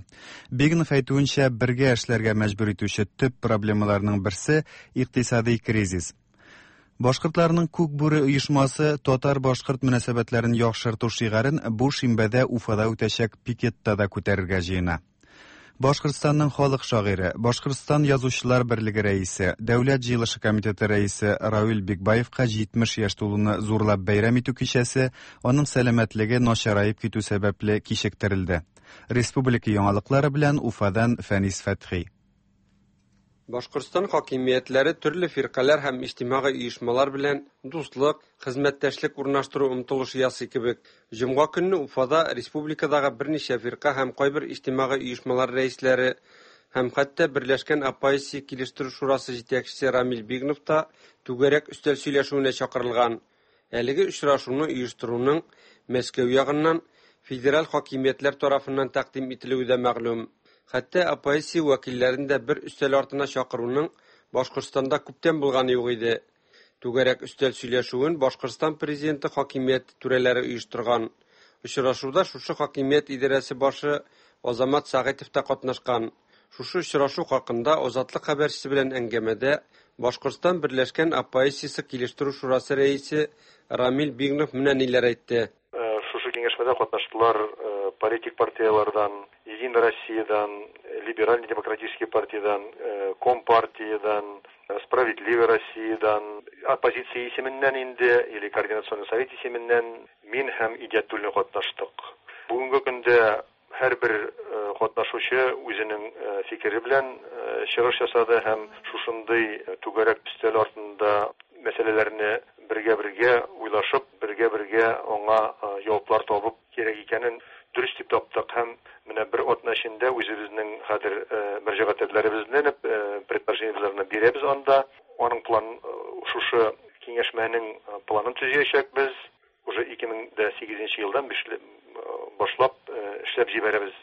Бигнов әйтүенчә, бергә эшләргә мәҗбүр итүче төп проблемаларның берсе икътисади кризис. Башкортларның Күк бүре оешмасы татар-башкорт мөнәсәбәтләрен яхшырту шигарен бу шимбәдә Уфада үтәчәк пикетта да күтәрергә җыена. Башкортстанның халык шагыйре, Башкортстан язучылар берлеге рәисе, Дәүләт җыелышы комитеты рәисе Равил Бикбаевка 70 яшь тулуны зурлап бәйрәм итү кичәсе аның сәламәтлеге начараеп китү сәбәпле кичектерелде. Республика яңалыклары белән Уфадан Фәнис Фәтхи. Башкортстан хакимиятләре төрле фиркаләр һәм иҗтимагый оешмалар белән дуслык, хезмәттәшлек урнаштыру омтылышы ясый кебек. Җомга көнне Уфада республикадагы берничә фирка һәм кайбер иҗтимагый оешмалар рәисләре һәм хәтта Берләшкән оппозиция килештерү шурасы җитәкчесе Рамил Бигнов та түгәрәк өстәл сөйләшүенә чакырылган. Әлеге очрашуны оештыруның Мәскәү ягыннан федераль хакимиятләр тарафыннан тәкъдим ителүе дә мәгълүм. Хәтта оппозиция вәкилләрен дә бер өстәл артына чакыруның Башкортстанда күптән булганы юк иде. Түгәрәк өстәл сөйләшүен Башкортстан президенты хакимияте түрәләре оештырган. Очрашуда шушы хакимият идарәсе башы Азамат Сәгыйтов та катнашкан. Шушы очрашу хакында Азатлык хәбәрчесе белән әңгәмәдә Башкортстан Берләшкән оппозициясе килештерү шурасы рәисе Рамил Бигнов менә ниләр әйтте. Шушы киңәшмәдә катнаштылар политик партиялардан, Единая Россиядан, Либеральный демократический партиядан, Компартиядан, Справедливая Россиядан, оппозиция исеменнән инде, или Координационный совет исеменнән мин һәм Идиятуллин катнаштык. Бүгенге көндә һәрбер катнашучы үзенең фикере белән чыгыш ясады һәм шушындый түгәрәк өстәл артында мәсьәләләрне бергә-бергә уйлашып, бергә-бергә аңа җаваплар табып кирәк икәнен дөрес дип таптык һәм менә бер атна эчендә үзебезнең хәзер мөрәҗәгатьләребезне, предложениеләрне бирәбез анда. Аның план шушы киңәшмәнең планын төзәячәкбез. Уже 2008 елдан башлап эшләп җибәрәбез,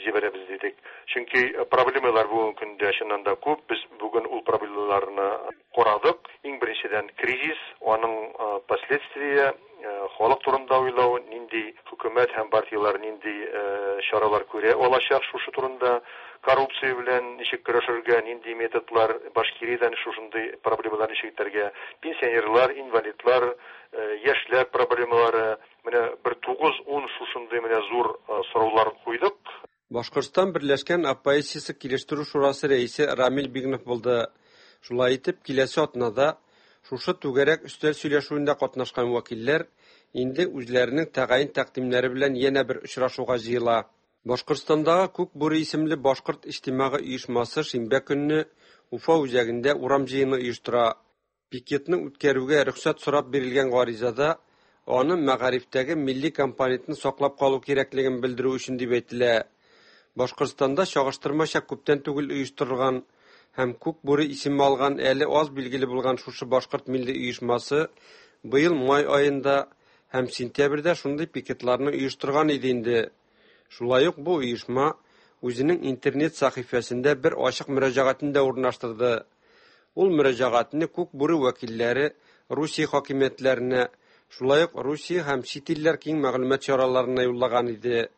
җибәрәбез дидек. Чөнки проблемалар бүгенге көндә чыннан да күп. Без бүген ул проблемаларны карадык. Иң беренчедән кризис, аның последствия, халык турында уйлау, нинди хөкүмәт һәм партияләр нинди чаралар күрә алачак шушы турында, коррупция белән ничек көрәшергә, нинди методлар, Башкириядән шушындый проблемалар ничек итәргә, пенсионерлар, инвалидлар, яшьләр проблемалары, менә бер 9-10 шушындый менә зур сораулар куйдык. Башкортстан Берләшкән оппозициясе килештерү шурасы рәисе Рамил Бигнов булды. Шулай итеп, киләсе атнада шушы түгәрәк өстәл сөйләшүендә катнашкан вәкилләр инде үзләренең тәгаен тәкъдимнәре белән янә бер очрашуга җыела. Башкортстандагы Күк бүре исемле башкорт иҗтимагый оешмасы шимбә көнне Уфа үзәгендә урам җыены оештыра. Пикетны үткәрүгә рөхсәт сорап бирелгән гаризада аны мәгарифтәге милли компонентны саклап калу кирәклеген белдерү өчен дип әйтелә. Башкортстанда чагыштырмача күптән түгел оештырылган һәм Күк бүре исеме алган әле аз билгеле булган шушы башкорт милли оешмасы быел май аенда һәм сентябрьдә шундый пикетларны оештырган иде инде. Шулай ук бу оешма үзенең интернет сәхифәсендә бер ачык мөрәҗәгатен дә урнаштырды. Ул мөрәҗәгатьне Күк бүре вәкилләре Русия хакимиятләренә, шулай ук Русия һәм чит илләр киң мәгълүмат чараларына юллаган иде.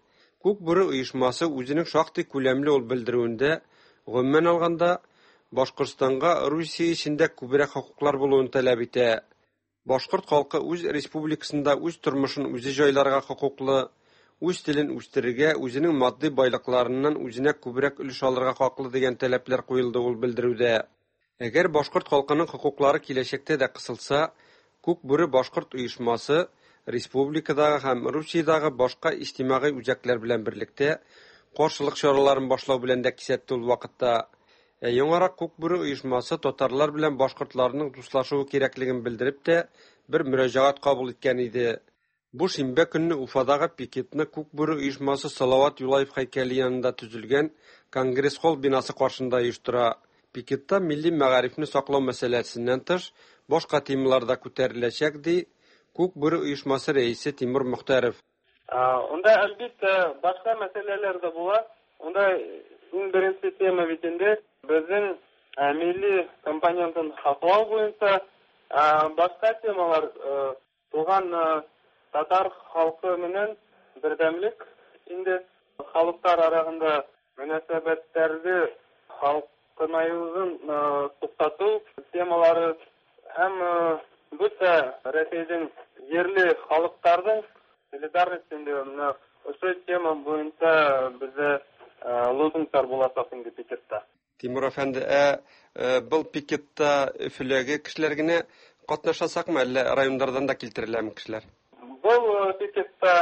Күк бүре оешмасы үзенең шактый күләмле ул белдерүендә, гомумән алганда, Башкортстанга Русия эчендә күбрәк хокуклар булуын таләп итә. Башкорт халкы үз республикасында үз тормышын үзе җайларга хокуклы, үз телен үстерергә, үзенең матди байлыкларыннан үзенә күбрәк өлеш алырга хаклы дигән таләпләр куелды ул белдерүдә. Әгәр башкорт халкының хокуклары киләчәктә дә кысылса, Күк бүре башкорт оешмасы республикадагы һәм Русиядәге башка иҗтимагый үзәкләр белән берлектә каршылык чараларын башлау белән дә кисәтте ул вакытта. Ә яңарак Күк бүре оешмасы татарлар белән башкортларның дуслашуы кирәклеген белдереп тә бер мөрәҗәгать кабул иткән иде. Бу шимбә көнне Уфадагы пикетны Күк бүре оешмасы Салават Юлаев һәйкәле янында төзелгән Конгресс-холл бинасы каршында оештыра. Пикетта милли мәгарифне саклау мәсьәләсеннән тыш, башка темалар да күтәреләчәк, ди Күк бүре оешмасы рәисе Тимур Мөхтәров. Унда, әлбиттә, башка мәсьәләләр дә була. Унда иң беренче тема бит инде безнең милли компонентын саклау буенча. Башка темалар туган татар халкы менән бердәмлек инде, халыклар арасында мөнәсәбәтләрне халкынаюын туктату темалары һәм бөтә Рәсәйнең җирле халыкларның солидарность инде менә ошо тема буенча бездә лозунглар булачак инде пикетта. Тимур әфәнде, ә был пикетта Өфөләге кешеләр генә катнашачакмы, әллә районнардан да килтереләме кешеләр? Был пикетта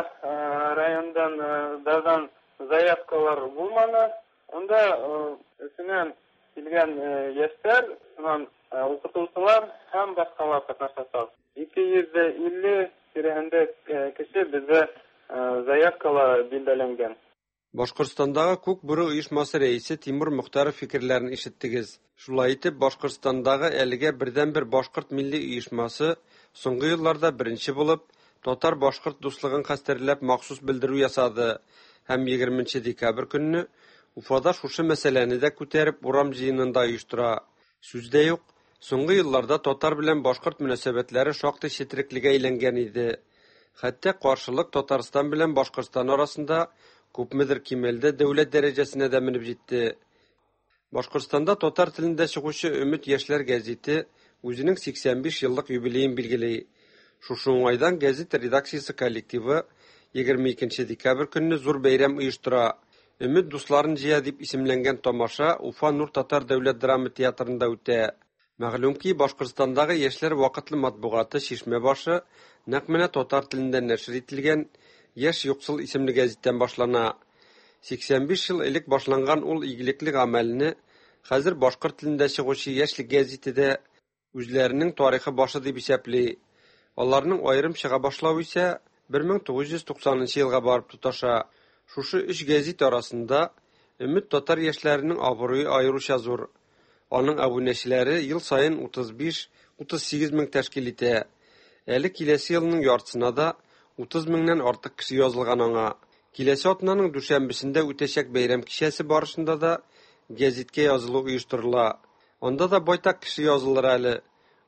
райондан дадан заявкалар булманы. Унда Өфөнән килгән яшьләр, шуннан укытучылар һәм башкалар катнашачак. 250 тирәһендә кеше бездә заявкалар билгеләнгән. Башкортстандагы Күк бүре оешмасы рәисе Тимур Мөхтәров фикерләрен ишеттегез. Шулай итеп, Башкортстандагы әлегә бердәнбер башкорт милли оешмасы соңгы елларда беренче булып татар-башкорт дуслыгын хәстәрләп махсус белдерү ясады һәм 20 декабрь көнне Уфада шушы мәсьәләне дә күтәреп урам җыенын да оештыра. Сүз дә юк, соңгы елларда татар белән башкорт мөнәсәбәтләре шактый четереклегә әйләнгән иде. Хәтта каршылык Татарстан белән Башкортстан арасында күпмедер кимәлдә дәүләт дәрәҗәсенә дә менеп җитте. Башкортстанда татар телендә чыгучы Өмет яшьләр гәзите үзенең 85 еллык юбилеен билгели. Шушы уңайдан гәзит редакциясе коллективы 22 декабрь көнне зур бәйрәм оештыра. Өмет дусларын җыя дип исемләнгән тамаша Уфа Нур татар дәүләт драма театрында үтә. Мәгълүм ки, Башкортстандагы яшьләр вакытлы матбугаты Чишмә башы нәкъ менә татар телендә нәшер ителгән Яшь юксыл исемле гәзиттән башлана. 85 ел элек башланган ул игелекле гамәлне хәзер башкорт телендә чыгучы Яшьлек гәзите дә үзләренең тарихы башы дип исәпли. Аларның аерым чыга башлавы исә 1990 елга барып тоташа. Шушы өч гәзит арасында Өмет татар яшьләренең абруе аеруча зур. Аның әбүнәчеләре ел саен 35-38 мең тәшкил итә. Әле киләсе елның яртысына да 30 меңнән артык кеше язылган аңа. Киләсе атнаның дүшәмбесендә үтәчәк бәйрәм кичәсе барышында да гәзиткә язылу оештырыла. Анда да байтак кеше язылыр әле.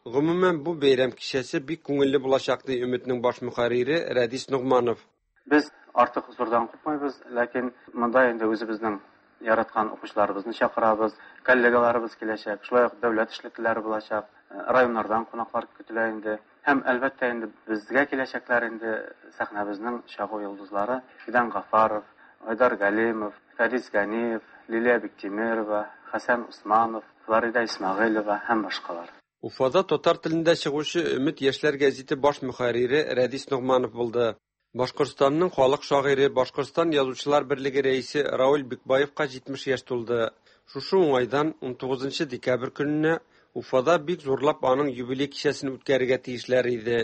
Гомумән, бу бәйрәм кичәсе бик күңелле булачак, ди Өметнең баш мөхәррире Рәдис Ногманов. Без артык зурдан купмыйбыз, ләкин монда инде үзебезнең яраткан укучыларыбызны чакырабыз, коллегаларыбыз киләчәк, шулай ук дәүләт эшлеклеләре булачак, районнардан кунаклар көтелә инде. Һәм әлбәттә инде безгә киләчәкләр инде сәхнәбезнең чагу йолдызлары Фидан Гафаров, Айдар Галимов, Фәрис Ганиев, Лилия Биктимирова, Хәсән Усманов, Флорида Исмәгыйлева һәм башкалар. Уфада татар телендә чыгучы Өмет яшьләр гәзите баш мөхәррире Рәдис Ногманов булды. Башкортстанның халык шагыйре, Башкортстан Язучылар берлеге рәисе Равил Бикбаевка 70 яшь тулды. Шушы уңайдан 19 декабрь көнне Уфада бик зурлап аның юбилей кичәсен үткәрергә тиешләр иде.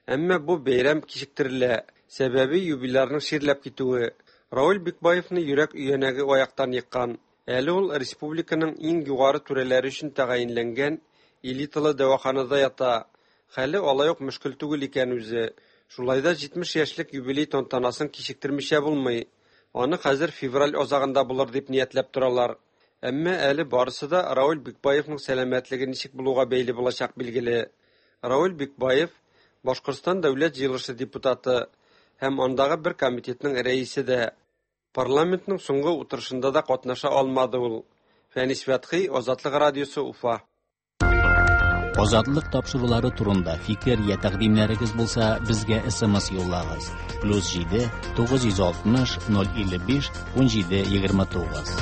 Әмма бу бәйрәм кичектерелә. Сәбәбе юбилярның чирләп китүе. Равил Бикбаевны йөрәк өянәге аяктан еккан. Әле ул республиканың иң югары түрәләре өчен тәгаенләнгән элиталы дәваханада ята. Хәле алай ук мөшкел түгел икән үзе. Шулай да 70 яшьлек юбилей тантанасын кичектермичә булмый. Аны хәзер февраль азагында булыр дип ниятләп торалар. Әмма әле барысы да Равил Бикбаевның сәламәтлеге ничек булуга бәйле булачак билгеле. Равил Бикбаев Башкортстан дәүләт җыелышы депутаты һәм андагы бер комитетның рәисе дә. Парламентның соңгы утырышында да катнаша алмады ул. Фәнис Фәтхи, Азатлык радиосы, Уфа. Азатлык тапшырулары турында фикер я тәкъдимнәрегез булса, безгә SMS юллагыз. Плюс 7 960 055 17 29.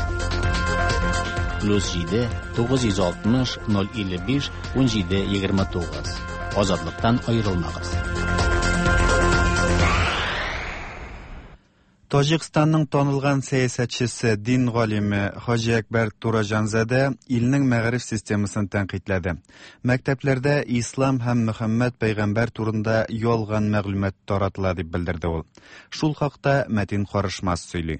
Плюс 7 960 055 17 29. Азатлыктан аерылмагыз. Таҗикстанның танылган сәясәтчесе, дин галиме Хаҗиәкбәр Тураҗанзадә илнең мәгариф системасын тәнкыйтьләде. Мәктәпләрдә ислам һәм Мөхәммәд пәйгамбәр турында ялган мәгълүмат таратыла дип белдерде ул. Шул хакта Мәтин Карышмас сөйли.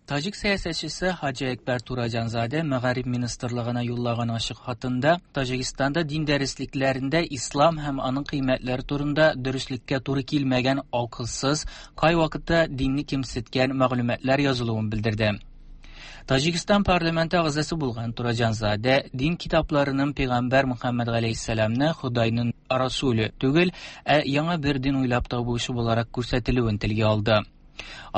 Таҗик сәясәтчесе Хаҗиәкбәр Тураҗанзадә Мәгариф министрлыгына юллаган ачык хатында Таҗикстанда дин дәреслекләрендә ислам һәм аның кыйммәтләре турында дөреслеккә туры килмәгән акылсыз, кайвакытта динне кимсеткән мәгълүматлар язылуын белдерде. Таҗикстан парламенты әгъзасы булган Тураҗанзадә дин китапларының пәйгамбәр Мөхәммәд галәйһиссәламне Ходайның расуле түгел, ә яңа бер дин уйлап табучы буларак күрсәтелүен телгә алды.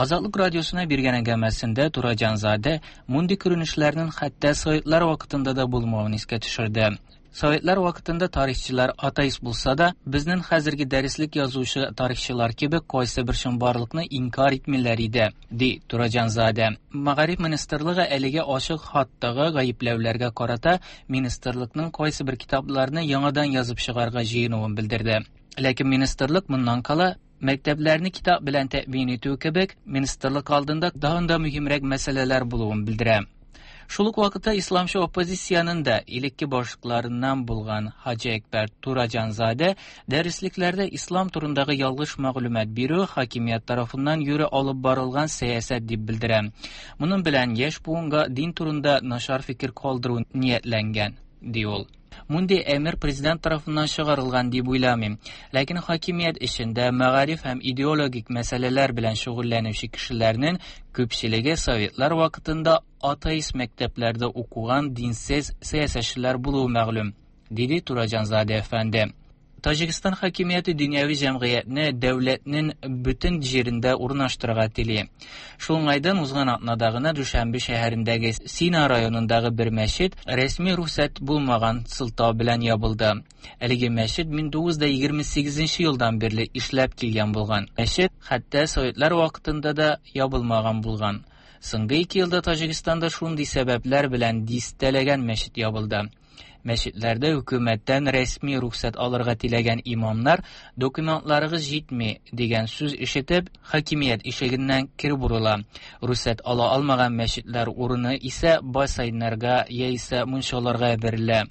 Азатлык радиосына биргән әңгәмәсендә Тураҗанзадә мондый күренешләрнең хәтта советлар вакытында да булмавын искә төшерде. Советлар вакытында тарихчылар атеист булса да, безнең хәзерге дәреслек язучы тарихчылар кебек кайсы бер чынбарлыкны инкар итмиләр иде, ди Тураҗанзадә. Мәгариф министрлыгы әлеге ачык хаттагы гаепләүләргә карата министрлыкның кайсы бер китапларны яңадан язып чыгарга җыенуын белдерде. Ләкин министрлык моннан кала мәктәпләрне китап белән тәэмин итү кебек министрлык алдында тагын да мөһимрәк мәсьәләләр булуын белдерә. Шул ук вакытта исламчы оппозициянең дә элекке башлыкларыннан булган Хаҗиәкбәр Тураҗанзадә дәреслекләрдә ислам турындагы ялгыш мәгълүмат бирү хакимият тарафыннан юри алып барылган сәясәт дип белдерә. Моның белән яшь буынга дин турында начар фикер калдыру ниятләнгән, ди ул. Мондый әмер президент тарафыннан чыгарылган дип уйламыйм. Ләкин хакимият эчендә мәгариф һәм идеологик мәсьәләләр белән шөгыльләнүче кешеләрнең күпчелеге советлар вакытында атеист мәктәпләрдә укыган динсез сәясәтчеләр булуы мәгълүм, диде Тураҗанзадә әфәнде. Таҗикстан хакимияте дөньяви җәмгыятьне дәүләтнең бөтен җирендә урнаштырырга тели. Шул уңайдан узган атнада гына Дүшәнбе шәһәрендәге Сина районындагы бер мәчет рәсми рөхсәт булмаган сылтау белән ябылды. Әлеге мәчет 1928 елдан бирле эшләп килгән булган. Мәчет хәтта советлар вакытында да ябылмаган булган. Соңгы 2 елда Таҗикстанда шундый сәбәпләр белән дистәләгән мәчет ябылды. Мәчетләрдә хөкүмәттән рәсми рөхсәт алырга теләгән имамнар документларыгыз җитми дигән сүз ишетеп, хакимият ишегеннән кире борыла. Рөхсәт ала алмаган мәчетләр урыны исә бассейннарга яисә мунчаларга бирелә.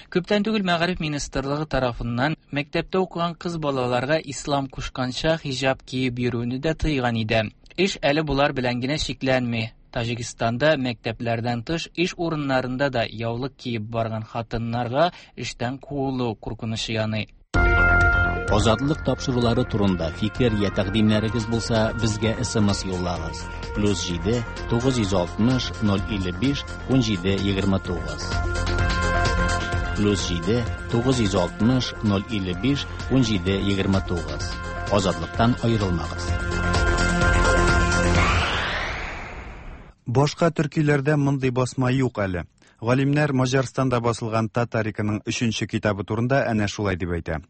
Күптән түгел Мәгариф министрлыгы тарафыннан мәктәптә укыган кыз балаларга ислам кушканча хиҗап киеп йөрүне дә тыйган иде. Эш әле болар белән генә чикләнми. Таҗикстанда мәктәпләрдән тыш эш урыннарында да яулык киеп барган хатыннарга эштән куылу куркынычы яный. Азатлык тапшырулары турында фикер я тәкъдимнәрегез булса, безгә SMS юллагыз. Плюс 7 960 055 17 29. Плюс 7 960 055 17 29. Азатлыктан аерылмагыз. Башка төркиләрдә мондый басма юк әле. Галимнәр Маҗарстанда басылган Татариканың өченче китабы турында әнә шулай дип әйтә.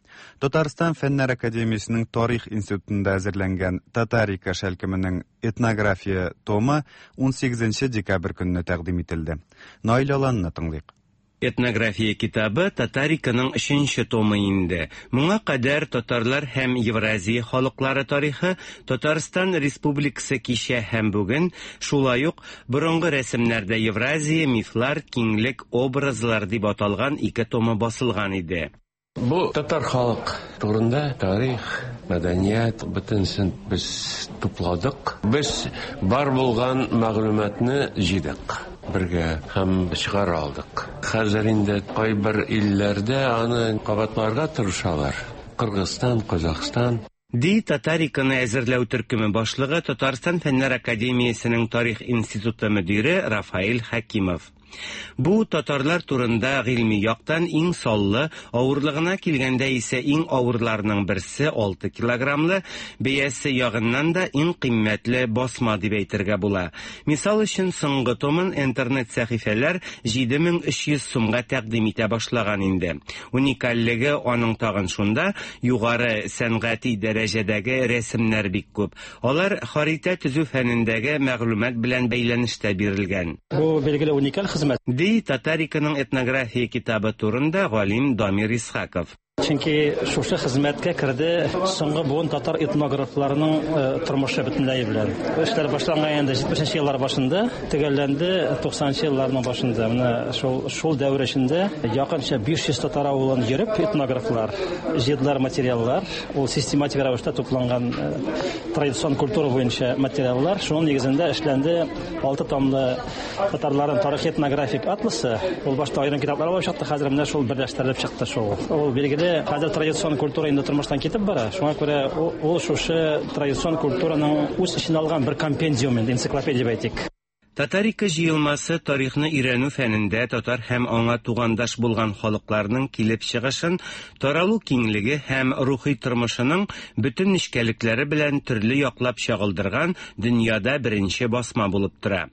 Татарстан Фәннәр академиясенең Тарих институтында әзерләнгән Татарика шәлкеменең этнография томы 18 декабрь көнне тәкъдим ителде. Наил Аланны тыңлыйк. Этнография китабы Татариканың өченче томы инде. Моңа кадәр татарлар һәм Евразия халыклары тарихы, Татарстан Республикасы кичә һәм бүген, шулай ук борынгы рәсемнәрдә Евразия, мифлар, киңлек, образлар дип аталган ике томы басылган иде. Бу татар халык турында тарих, мәдәният бөтенсен без тупладык. Без бар булган мәгълүматны җыйдык бергә һәм чыгара алдык. Хәзер инде кайбер илләрдә аны кабатларга тырышалар. Кыргызстан, Казахстан. Ди Татариканы әзерләү төркеме башлыгы, Татарстан Фәннәр академиясенең Тарих институты мөдире Рафаэль Хәкимов. Бу, татарлар турында гыйльми яктан иң саллы, авырлыгына килгәндә исә иң авырларының берсе, 6 килограммлы, бәясе ягыннан да иң кыйммәтле басма дип әйтергә була. Мисал өчен, соңгы томын интернет сәхифәләр 7300 сумга тәкъдим итә башлаган инде. Уникальлеге аның тагын шунда, югары сәнгати дәрәҗәдәге рәсемнәр бик күп. Алар харитә төзү фәнендәге мәгълүмат белән бәйләнештә бирелгән. Бу, билгеле, уникаль хезмәт. Ди Татариканың этнография китабы турында галим Дамир Исхаков. Чөнки шушы хезмәткә керде соңгы буын татар этнографларының тормышы бөтенләе белән. Эшләр башланган инде 70 нче еллар башында, төгәлләнде 90 нчы елларның башында. Менә шул шул дәвер эчендә якынча 500 татар авылын йөреп этнографлар җыйдылар материаллар. Ул систематик рәвештә тупланган традицион культура буенча материаллар. Шуның нигезендә эшләнде 6 томлы Татарларның тарихи-этнографик атласы. Ул башта аерым китаплар булып чыкты, хәзер менә шул берләштерелеп чыкты шул. Ул билгеле, хәзер традицион культура инде тормыштан китеп бара. Шуңа күрә ул шушы традицион культураның үз эченә алган бер компендиум инде, энциклопедия дип әйтик. Татарика җыелмасы тарихны өйрәнү фәнендә татар һәм аңа тугандаш булган халыкларның килеп чыгышын, таралу киңлеге һәм рухи тормышының бөтен нечкәлекләре белән төрле яклап чагылдырган дөньяда беренче басма булып тора.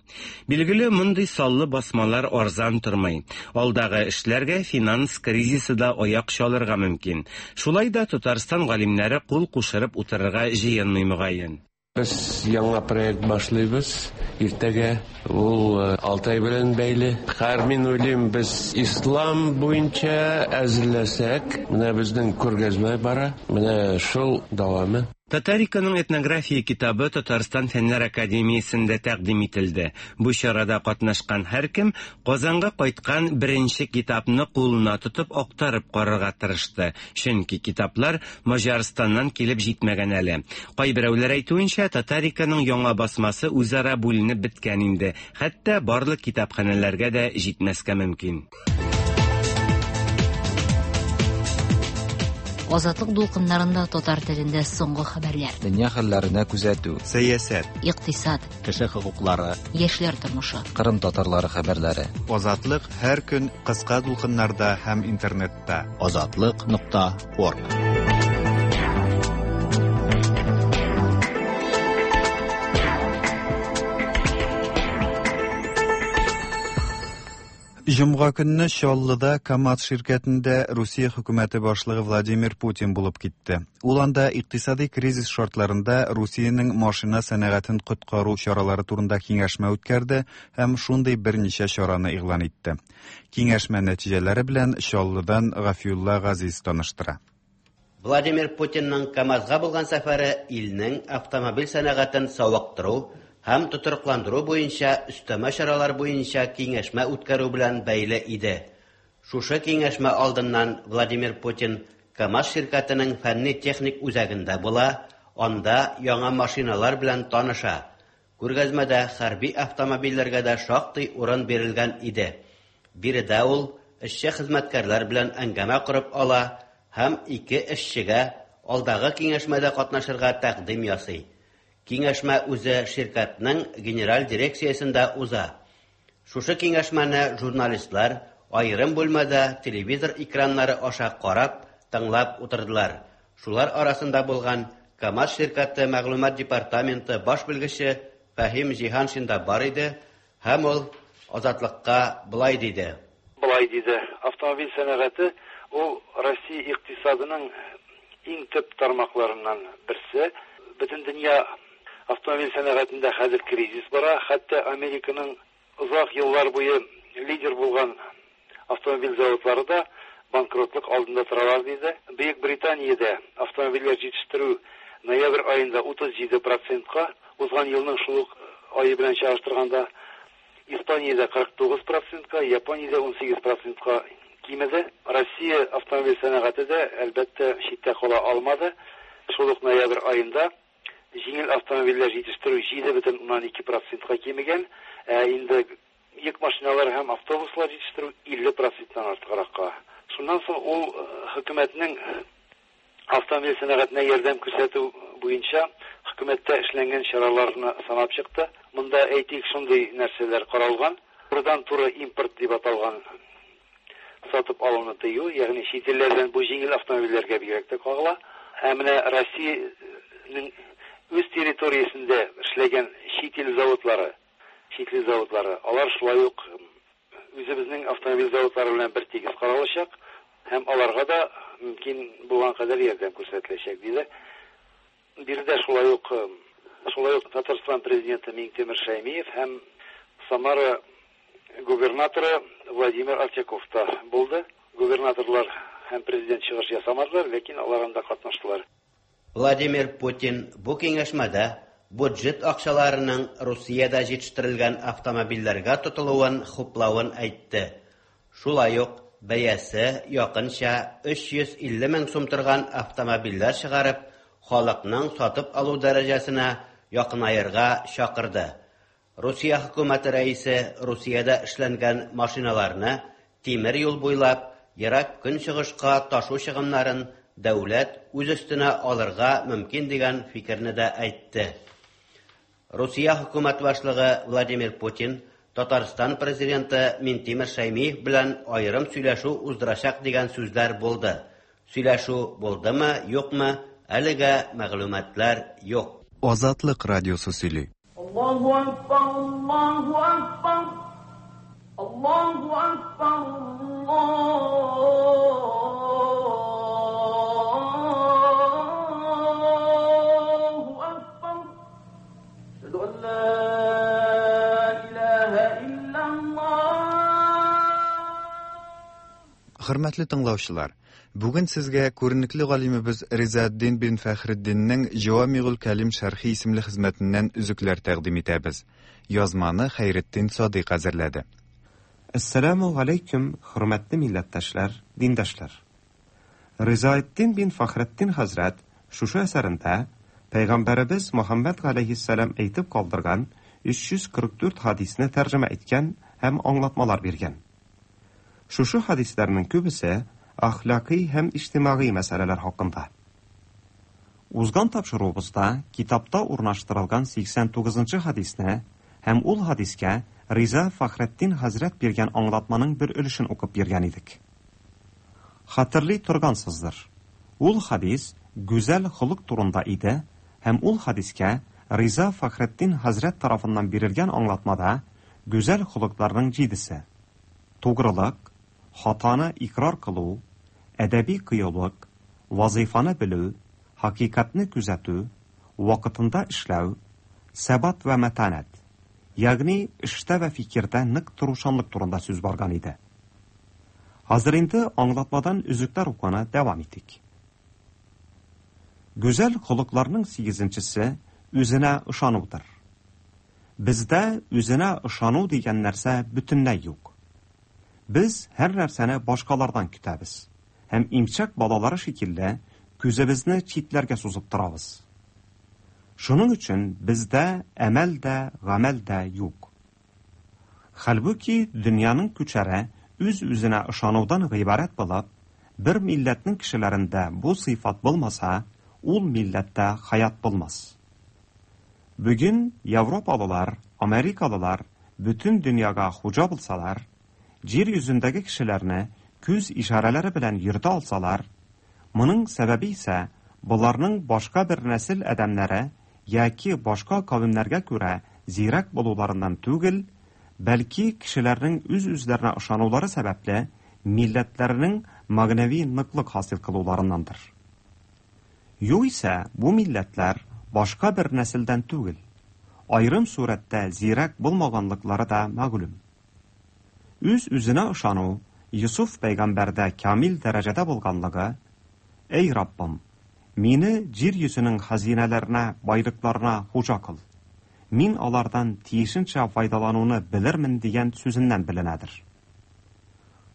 Билгеле, мондый саллы басмалар арзан тормый. Алдагы эшләргә финанс кризисы да аяк чалырга мөмкин. Шулай да Татарстан галимнәре кул кушырып утырырга җыенмый, мөгаен. Без яңа проект башлыйбыз иртәгә. Ул Алтай белән бәйле. Хәер, мин уйлыйм, без ислам буенча әзерләсәк, менә безнең күргәзмә бара, менә шул дәвамы. Татариканың этнография китабы Татарстан Фәннәр академиясендә тәкъдим ителде. Бу чарада катнашкан һәркем Казанга кайткан беренче китапны кулына тотып актарып карарга тырышты, чөнки китаплар Маҗарстаннан килеп җитмәгән әле. Кайберәүләр әйтүенчә, Татариканың яңа басмасы үзара бүленеп беткән инде, хәтта барлык китапханәләргә дә җитмәскә мөмкин. Азатлык дулкыннарында татар телендә соңгы хәбәрләр. Дөнья хәлләренә күзәтү. Сәясәт. Икътисад. Кеше хокуклары. Яшьләр тормышы. Кырым татарлары хәбәрләре. Азатлык һәр көн кыска дулкыннарда һәм интернетта. Азатлык нокта орг. Җомга көнне Чаллыда КАМАЗ ширкәтендә Русия хөкүмәте башлыгы Владимир Путин булып китте. Ул анда икътисади кризис шартларында Русиянең машина сәнәгатен коткару чаралары турында киңәшмә үткәрде һәм шундый берничә чараны игълан итте. Киңәшмә нәтиҗәләре белән Чаллыдан Гафиулла Газиз таныштыра. Владимир Путинның КАМАЗга булган сәфәре илнең автомобиль сәнәгатен савыктыру һәм тотрыкландыру буенча өстәмә чаралар буенча киңәшмә үткәрү белән бәйле иде. Шушы киңәшмә алдыннан Владимир Путин КАМАЗ ширкәтенең фәнни-техник үзәгендә була, анда яңа машиналар белән таныша. Күргәзмәдә хәрби автомобильләргә дә шактый урын бирелгән иде. Биредә ул эшче-хезмәткәрләр белән әңгәмә корып ала һәм ике эшчегә алдагы киңәшмәдә катнашырга тәкъдим ясый. Киңәшмә үзе ширкәтнең генераль дирекциясендә уза. Шушы киңәшмәне журналистлар аерым бүлмәдә телевизор экраннары аша карап, тыңлап утырдылар. Шулар арасында булган КАМАЗ ширкәте мәгълүмат департаменты баш белгече Фәһим Җиһаншин да бар иде һәм ул Азатлыкка болай диде. Болай диде, Автомобиль сәнәгате ул Россия икътисадының иң төп тармакларыннан берсе. Бөтендөнья автомобиль сәнәгатендә хәзер кризис бара, хәтта Американың Озак еллар буе лидер булган автомобиль заводлары да банкротлык алдында торалар, диде. Бөекбританиядә автомобильләр җитештерү ноябрь аенда 37 процентка, узган елның шул ук ае белән чагыштырганда, Испаниядә 49 процентка, Япониядә 18 процентка кимеде. Россия автомобиль сәнәгате дә, әлбәттә, читтә кала алмады. Шул ук ноябрь аенда Җиңел автомобильләр җитештерү 7,2 процентка кимегән, ә инде йөк машиналары һәм автобуслар җитештерү 50 проценттан артыгракка. Шуннан соң ул хөкүмәтнең автомобиль сәнәгатенә ярдәм күрсәтү буенча хөкүмәттә эшләнгән чараларны санап чыкты. Монда, әйтик, шундый нәрсәләр каралган. Турыдан-туры импорт дип аталган сатып алуны тыю, ягъни чит илләрдән бу җиңел автомобильләргә бигрәк тә кагыла. Ә менә Россиянең үз территориясендә эшләгән чит ил заводлары, чит ил заводлары, алар шулай ук үзебезнең автомобиль заводлары белән бер тигез каралачак һәм аларга да мөмкин булган кадәр ярдәм күрсәтеләчәк, диде. Биредә шулай ук шулай ук Татарстан Президенты Миңтимер Шәймиев һәм Самара губернаторы Владимир Артяков та булды. Губернаторлар һәм президент чыгыш ясамадылар, ләкин алар анда катнаштылар. Владимир Путин бу киңәшмәдә буджет акчаларының Русиядә җитештерелгән автомобильләргә тотылуын хуплавын әйтте. Шулай ук бәясе якынча 350 мең сум торган автомобильләр чыгарып, халыкның сатып алу дәрәҗәсенә якынаерга чакырды. Русия хөкүмәте рәисе Русиядә эшләнгән машиналарны тимер юл буйлап Ерак Көнчыгышка ташу чыгымнарын дәүләт үз өстенә алырга мөмкин дигән фикерне дә әйтте. Русия хөкүмәт башлыгы Владимир Путин Татарстан президенты Минтимер Шәймиев белән аерым сөйләшү уздырачак дигән сүзләр булды. Сөйләшү булдымы, юкмы, әлегә мәгълүматлар юк. Азатлык радиосы сөйли. Аллаһу акбар, Аллаһу акбар, Аллаһу акбар, Аллаһу акбар. Әшһәду ан ла илаһа иллаллаһ. Хөрмәтле тыңлаучылар, бүген сезгә күренекле галимебез Ризаэддин бин Фәхретдиннең Җавамигуль Кәлим шәрхи исемле хезмәтеннән өзекләр тәкъдим итәбез. Язманы Хәйретдин Садыйк әзерләде. Әссәләмү галәйкүм, хөрмәтле милләттәшләр, диндәшләр! Ризаэддин бин Фәхретдин хәзрәт шушы әсәрендә Пәйгамбәребез Мөхәммәд галәйһиссәлам әйтеп калдырган 344 хәдисне тәрҗемә иткән һәм аңлатмалар биргән. Шушы хәдисләрнең күбесе әхлакый һәм иҗтимагый мәсьәләләр хакында. Узган тапшыруыбызда китапта урнаштырылган 89 нчы хәдисне һәм ул хәдискә Риза Фәхретдин хәзрәт биргән аңлатманың бер өлешен укып биргән идек. Хәтерли торгансыздыр. Ул хәдис гүзәл холык турында иде һәм ул хәдискә Риза Фәхретдин хәзрәт тарафыннан бирелгән аңлатмада гүзәл холыкларның җидесе, тугрылык, хатаны икърар кылу, әдәби кыюлык, вазыйфаны белү, хакыйкатьне күзәтү, вакытында эшләү, сәбат вә мәтанәт, ягъни эштә вә фикердә нык торучанлык турында сүз барган иде. Хәзер инде аңлатмадан өзекләр укуны дәвам итик. Гүзәл холыкларның сигезенчесе үзенә ышанудыр. Бездә үзенә ышану дигән нәрсә бөтенләй юк. Без һәр нәрсәне башкалардан көтәбез һәм имчәк балалары шикелле күзебезне читләргә сузып торабыз. Шуның өчен бездә әмәл дә, гамәл дә юк. Хәлбуки дөньяның күчәре үз-үзенә ышанудан гыйбарәт булып, бер милләтнең кешеләрендә бу сыйфат булмаса, ул милләттә хаят булмас. Бүген европалылар, америкалылар бөтен дөньяга хуҗа булсалар, җир йөзендәге кешеләрне күз ишарәләре белән йөртә алсалар, моның сәбәбе исә боларның башка бер нәсел адәмнәре яки башка кавемнәргә күрә зирәк булуларыннан түгел, бәлки кешеләрнең үз-үзләренә ышанулары сәбәпле милләтләренең мәгънәви ныклык хасил кылуларыннандыр. Югыйсә, бу милләтләр башка бер нәселдән түгел, аерым сурәттә зирәк булмаганлыклары да мәгълүм. Үз-үзенә ышану Йосыф пәйгамбәрдә камил дәрәҗәдә булганлыгы, Әй Раббым, мине җир йөзенең хәзинәләренә, байлыкларына хуҗа кыл. Мин алардан тиешенчә файдалануны белермен дигән сүзеннән беленәдер.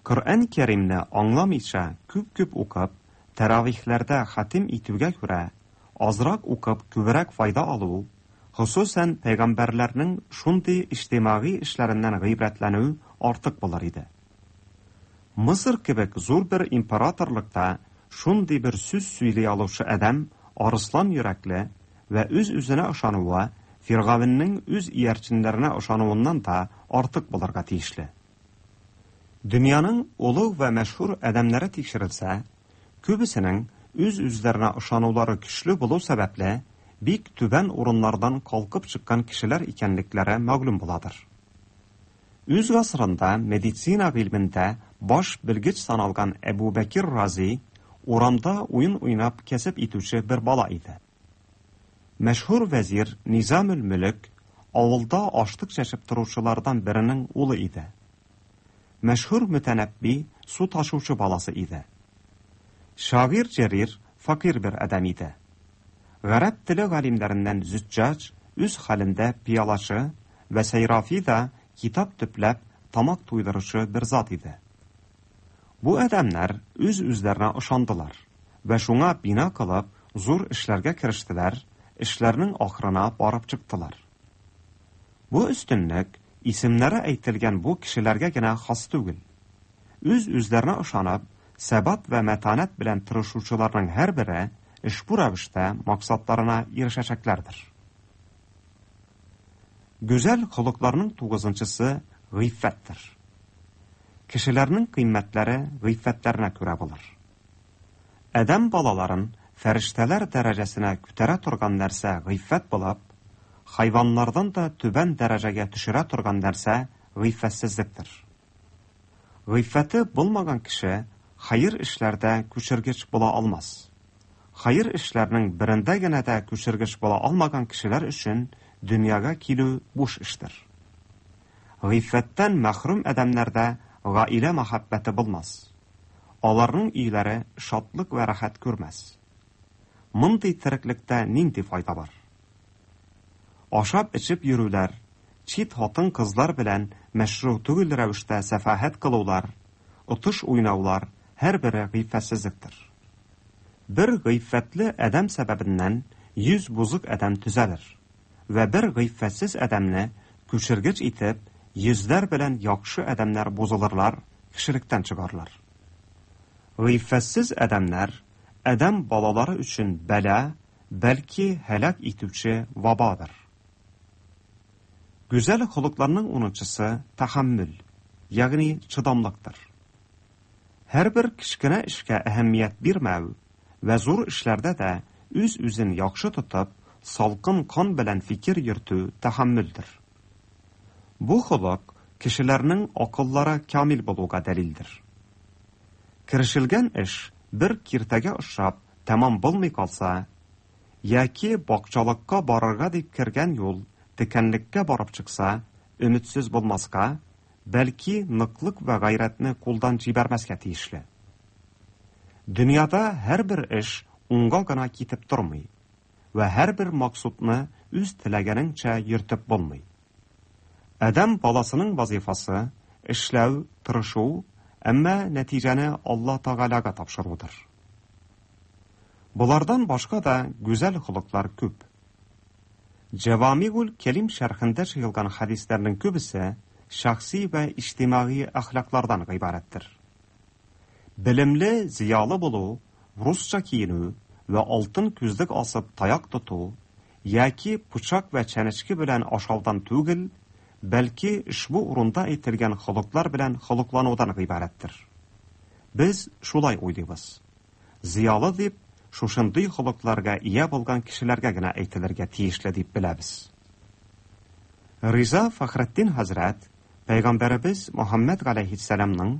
Коръән Кәримне аңламыйча күп-күп укып, тәравихләрдә хатим итүгә күрә, азрак укып күбрәк файда алу, хосусән пәйгамбәрләрнең шундый иҗтимагый эшләреннән гыйбрәтләнү артык булыр иде. Мысыр кебек зур бер императорлыкта шундый бер сүз сөйли алучы адәм арыслан йөрәкле вә үз-үзенә ышануы, Фиргавеннең үз иярченнәренә ышануыннан да артык булырга тиешле. Дөньяның олуг вә мәшһүр адәмнәре тикшерелсә, күбесенең үз-үзләренә ышанулары көчле булу сәбәпле, бик түбән урыннардан калкып чыккан кешеләр икәнлекләре мәгълүм буладыр. Үз гасырында медицина гыйльмендә баш белгеч саналган Әбу Бәкир Рази урамда уен уйнап кәсеп итүче бер бала иде. Мәшһүр вәзир Низамел-Мөлек авылда ашлык чәчеп торучылардан беренең улы иде. Мәшһүр Мөтәнәбби су ташучы баласы иде. Шагыйрь Җәрир фәкыйрь бер адәм иде. Гарәп теле галимнәреннән Зөҗҗаҗ үз хәлендә пыялачы вә Сәйрафи да китап төпләп тамак туйдыручы бер зат иде. Бу адәмнәр үз-үзләренә ышандылар вә шуңа бина кылып зур эшләргә керештеләр, эшләрнең ахырына барып чыктылар. Бу өстенлек исемнәре әйтелгән бу кешеләргә генә хас түгел. Үз-үзләренә ышанып, сәбат вә мәтанәт белән тырышучыларның һәрбере ошбу рәвештә максатларына ирешәчәкләрдер. Гүзәл холыкларның тугызынчысы гыйффәттер. Кешеләрнең кыйммәтләре гыйффәтләренә күрә булыр. Адәм балаларын фәрештәләр дәрәҗәсенә күтәрә торган нәрсә гыйффәт булып, хайваннардан да түбән дәрәҗәгә төшерә торган нәрсә гыйффәтсезлектер. Гыйффәте булмаган кеше хәер эшләрдә күчергеч була алмас. Хәер эшләрнең берендә генә дә күчергеч була алмаган кешеләр өчен дөньяга килү буш эштер. Гыйффәттән мәхрүм адәмнәрдә гаилә мәхәббәте булмас. Аларның өйләре шатлык вә рәхәт күрмәс. Мондый тереклектә нинди файда бар? Ашап-эчеп йөрүләр, чит хатын-кызлар белән мәшрү түгел рәвештә сәфаһәт кылулар, отыш уйнаулар һәрбере гыйффәтсезлектер. Бер гыйффәтле адәм сәбәбеннән 100 бозык адәм төзәлер вә бер гыйффәтсез адәмне күчергеч итеп, йөзләр белән яхшы адәмнәр бозылырлар, кешелектән чыгарлар. Гыйффәтсез адәмнәр адәм балалары өчен бәла, бәлки һәлак итүче вабадыр. Гүзәл холыкларның унынчысы тәхәммөл, ягъни чыдамлыктыр. Һәрбер кечкенә эшкә әһәмият бирмәү вә зур эшләрдә дә үз-үзен яхшы тотып, салкын кан белән фикер йөртү тәхәммөлдер. Бу холык кешеләрнең акыллары камил булуга дәлилдер. Керешелгән эш бер киртәгә ошап тәмам булмый калса, яки бакчалыкка барырга дип кергән юл текәнлеккә барып чыкса, өметсез булмаска, бәлки ныклык вә гайрәтне кулдан җибәрмәскә тиешле. Дөньяда һәрбер эш уңга гына китеп тормый вә һәрбер максудны үз теләгәнеңчә йөртеп булмый. Адәм баласының вазифасы эшләү, тырышу, әмма нәтиҗәне Алла Тәгаләгә тапшырудыр. Болардан башка да гүзәл холыклар күп. Җәвамигул Кәлим шәрхендә җыелган хәдисләрнең күбесе шәхси вә иҗтимагый әхлаклардан гыйбарәттер. Белемле, зыялы булу, русча киенү вә алтын күзлек асып таяк тоту яки пычак вә чәнечке белән ашаудан түгел, бәлки ошбу урында әйтелгән холыклар белән холыкланудан гыйбарәттер. Без шулай уйлыйбыз. Зыялы дип шушындый холыкларга ия булган кешеләргә генә әйтелергә тиешле дип беләбез. Риза Фәхретдин хәзрәт Пәйгамбәребез Мөхәммәд галәйһиссәламның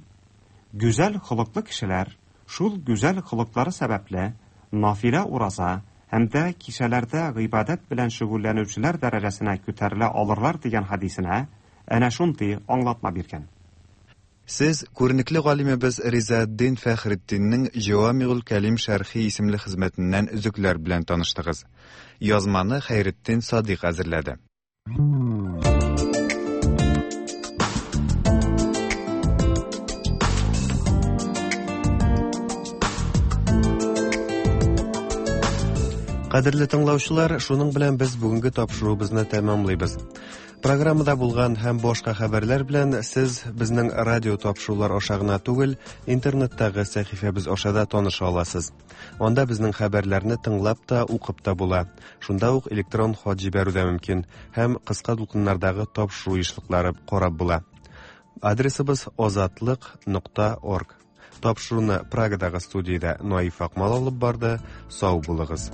гүзәл холыклы кешеләр шул гүзәл холыклары сәбәпле нафилә ураза һәм дә кичәләрдә гыйбадәт белән шөгыльләнүчеләр дәрәҗәсенә күтәрелә алырлар дигән хәдисенә әнә шундый аңлатма биргән. Сез күренекле галимебез Ризаэддин Фәхретдиннең Җәвамигул Кәлим шәрхи исемле хезмәтеннән өзекләр белән таныштыгыз. Язманы Хәйретдин Садыйк әзерләде. Кадерле тыңлаучылар, шуның белән без бүгенге тапшыруыбызны тәмамлыйбыз. Программада булган һәм башка хәбәрләр белән сез безнең радио тапшырулар аша гына түгел, интернеттагы сәхифәбез аша да таныша аласыз. Анда безнең хәбәрләрне тыңлап та, укып та була. Шунда ук электрон хат җибәрү дә мөмкин һәм кыска дулкыннардагы тапшыру ешлыклары карап була. Адресыбыз озатлык.орг. Тапшыруны Прагадагы студиядә Наиф Акмал алып барды. Сау булыгыз.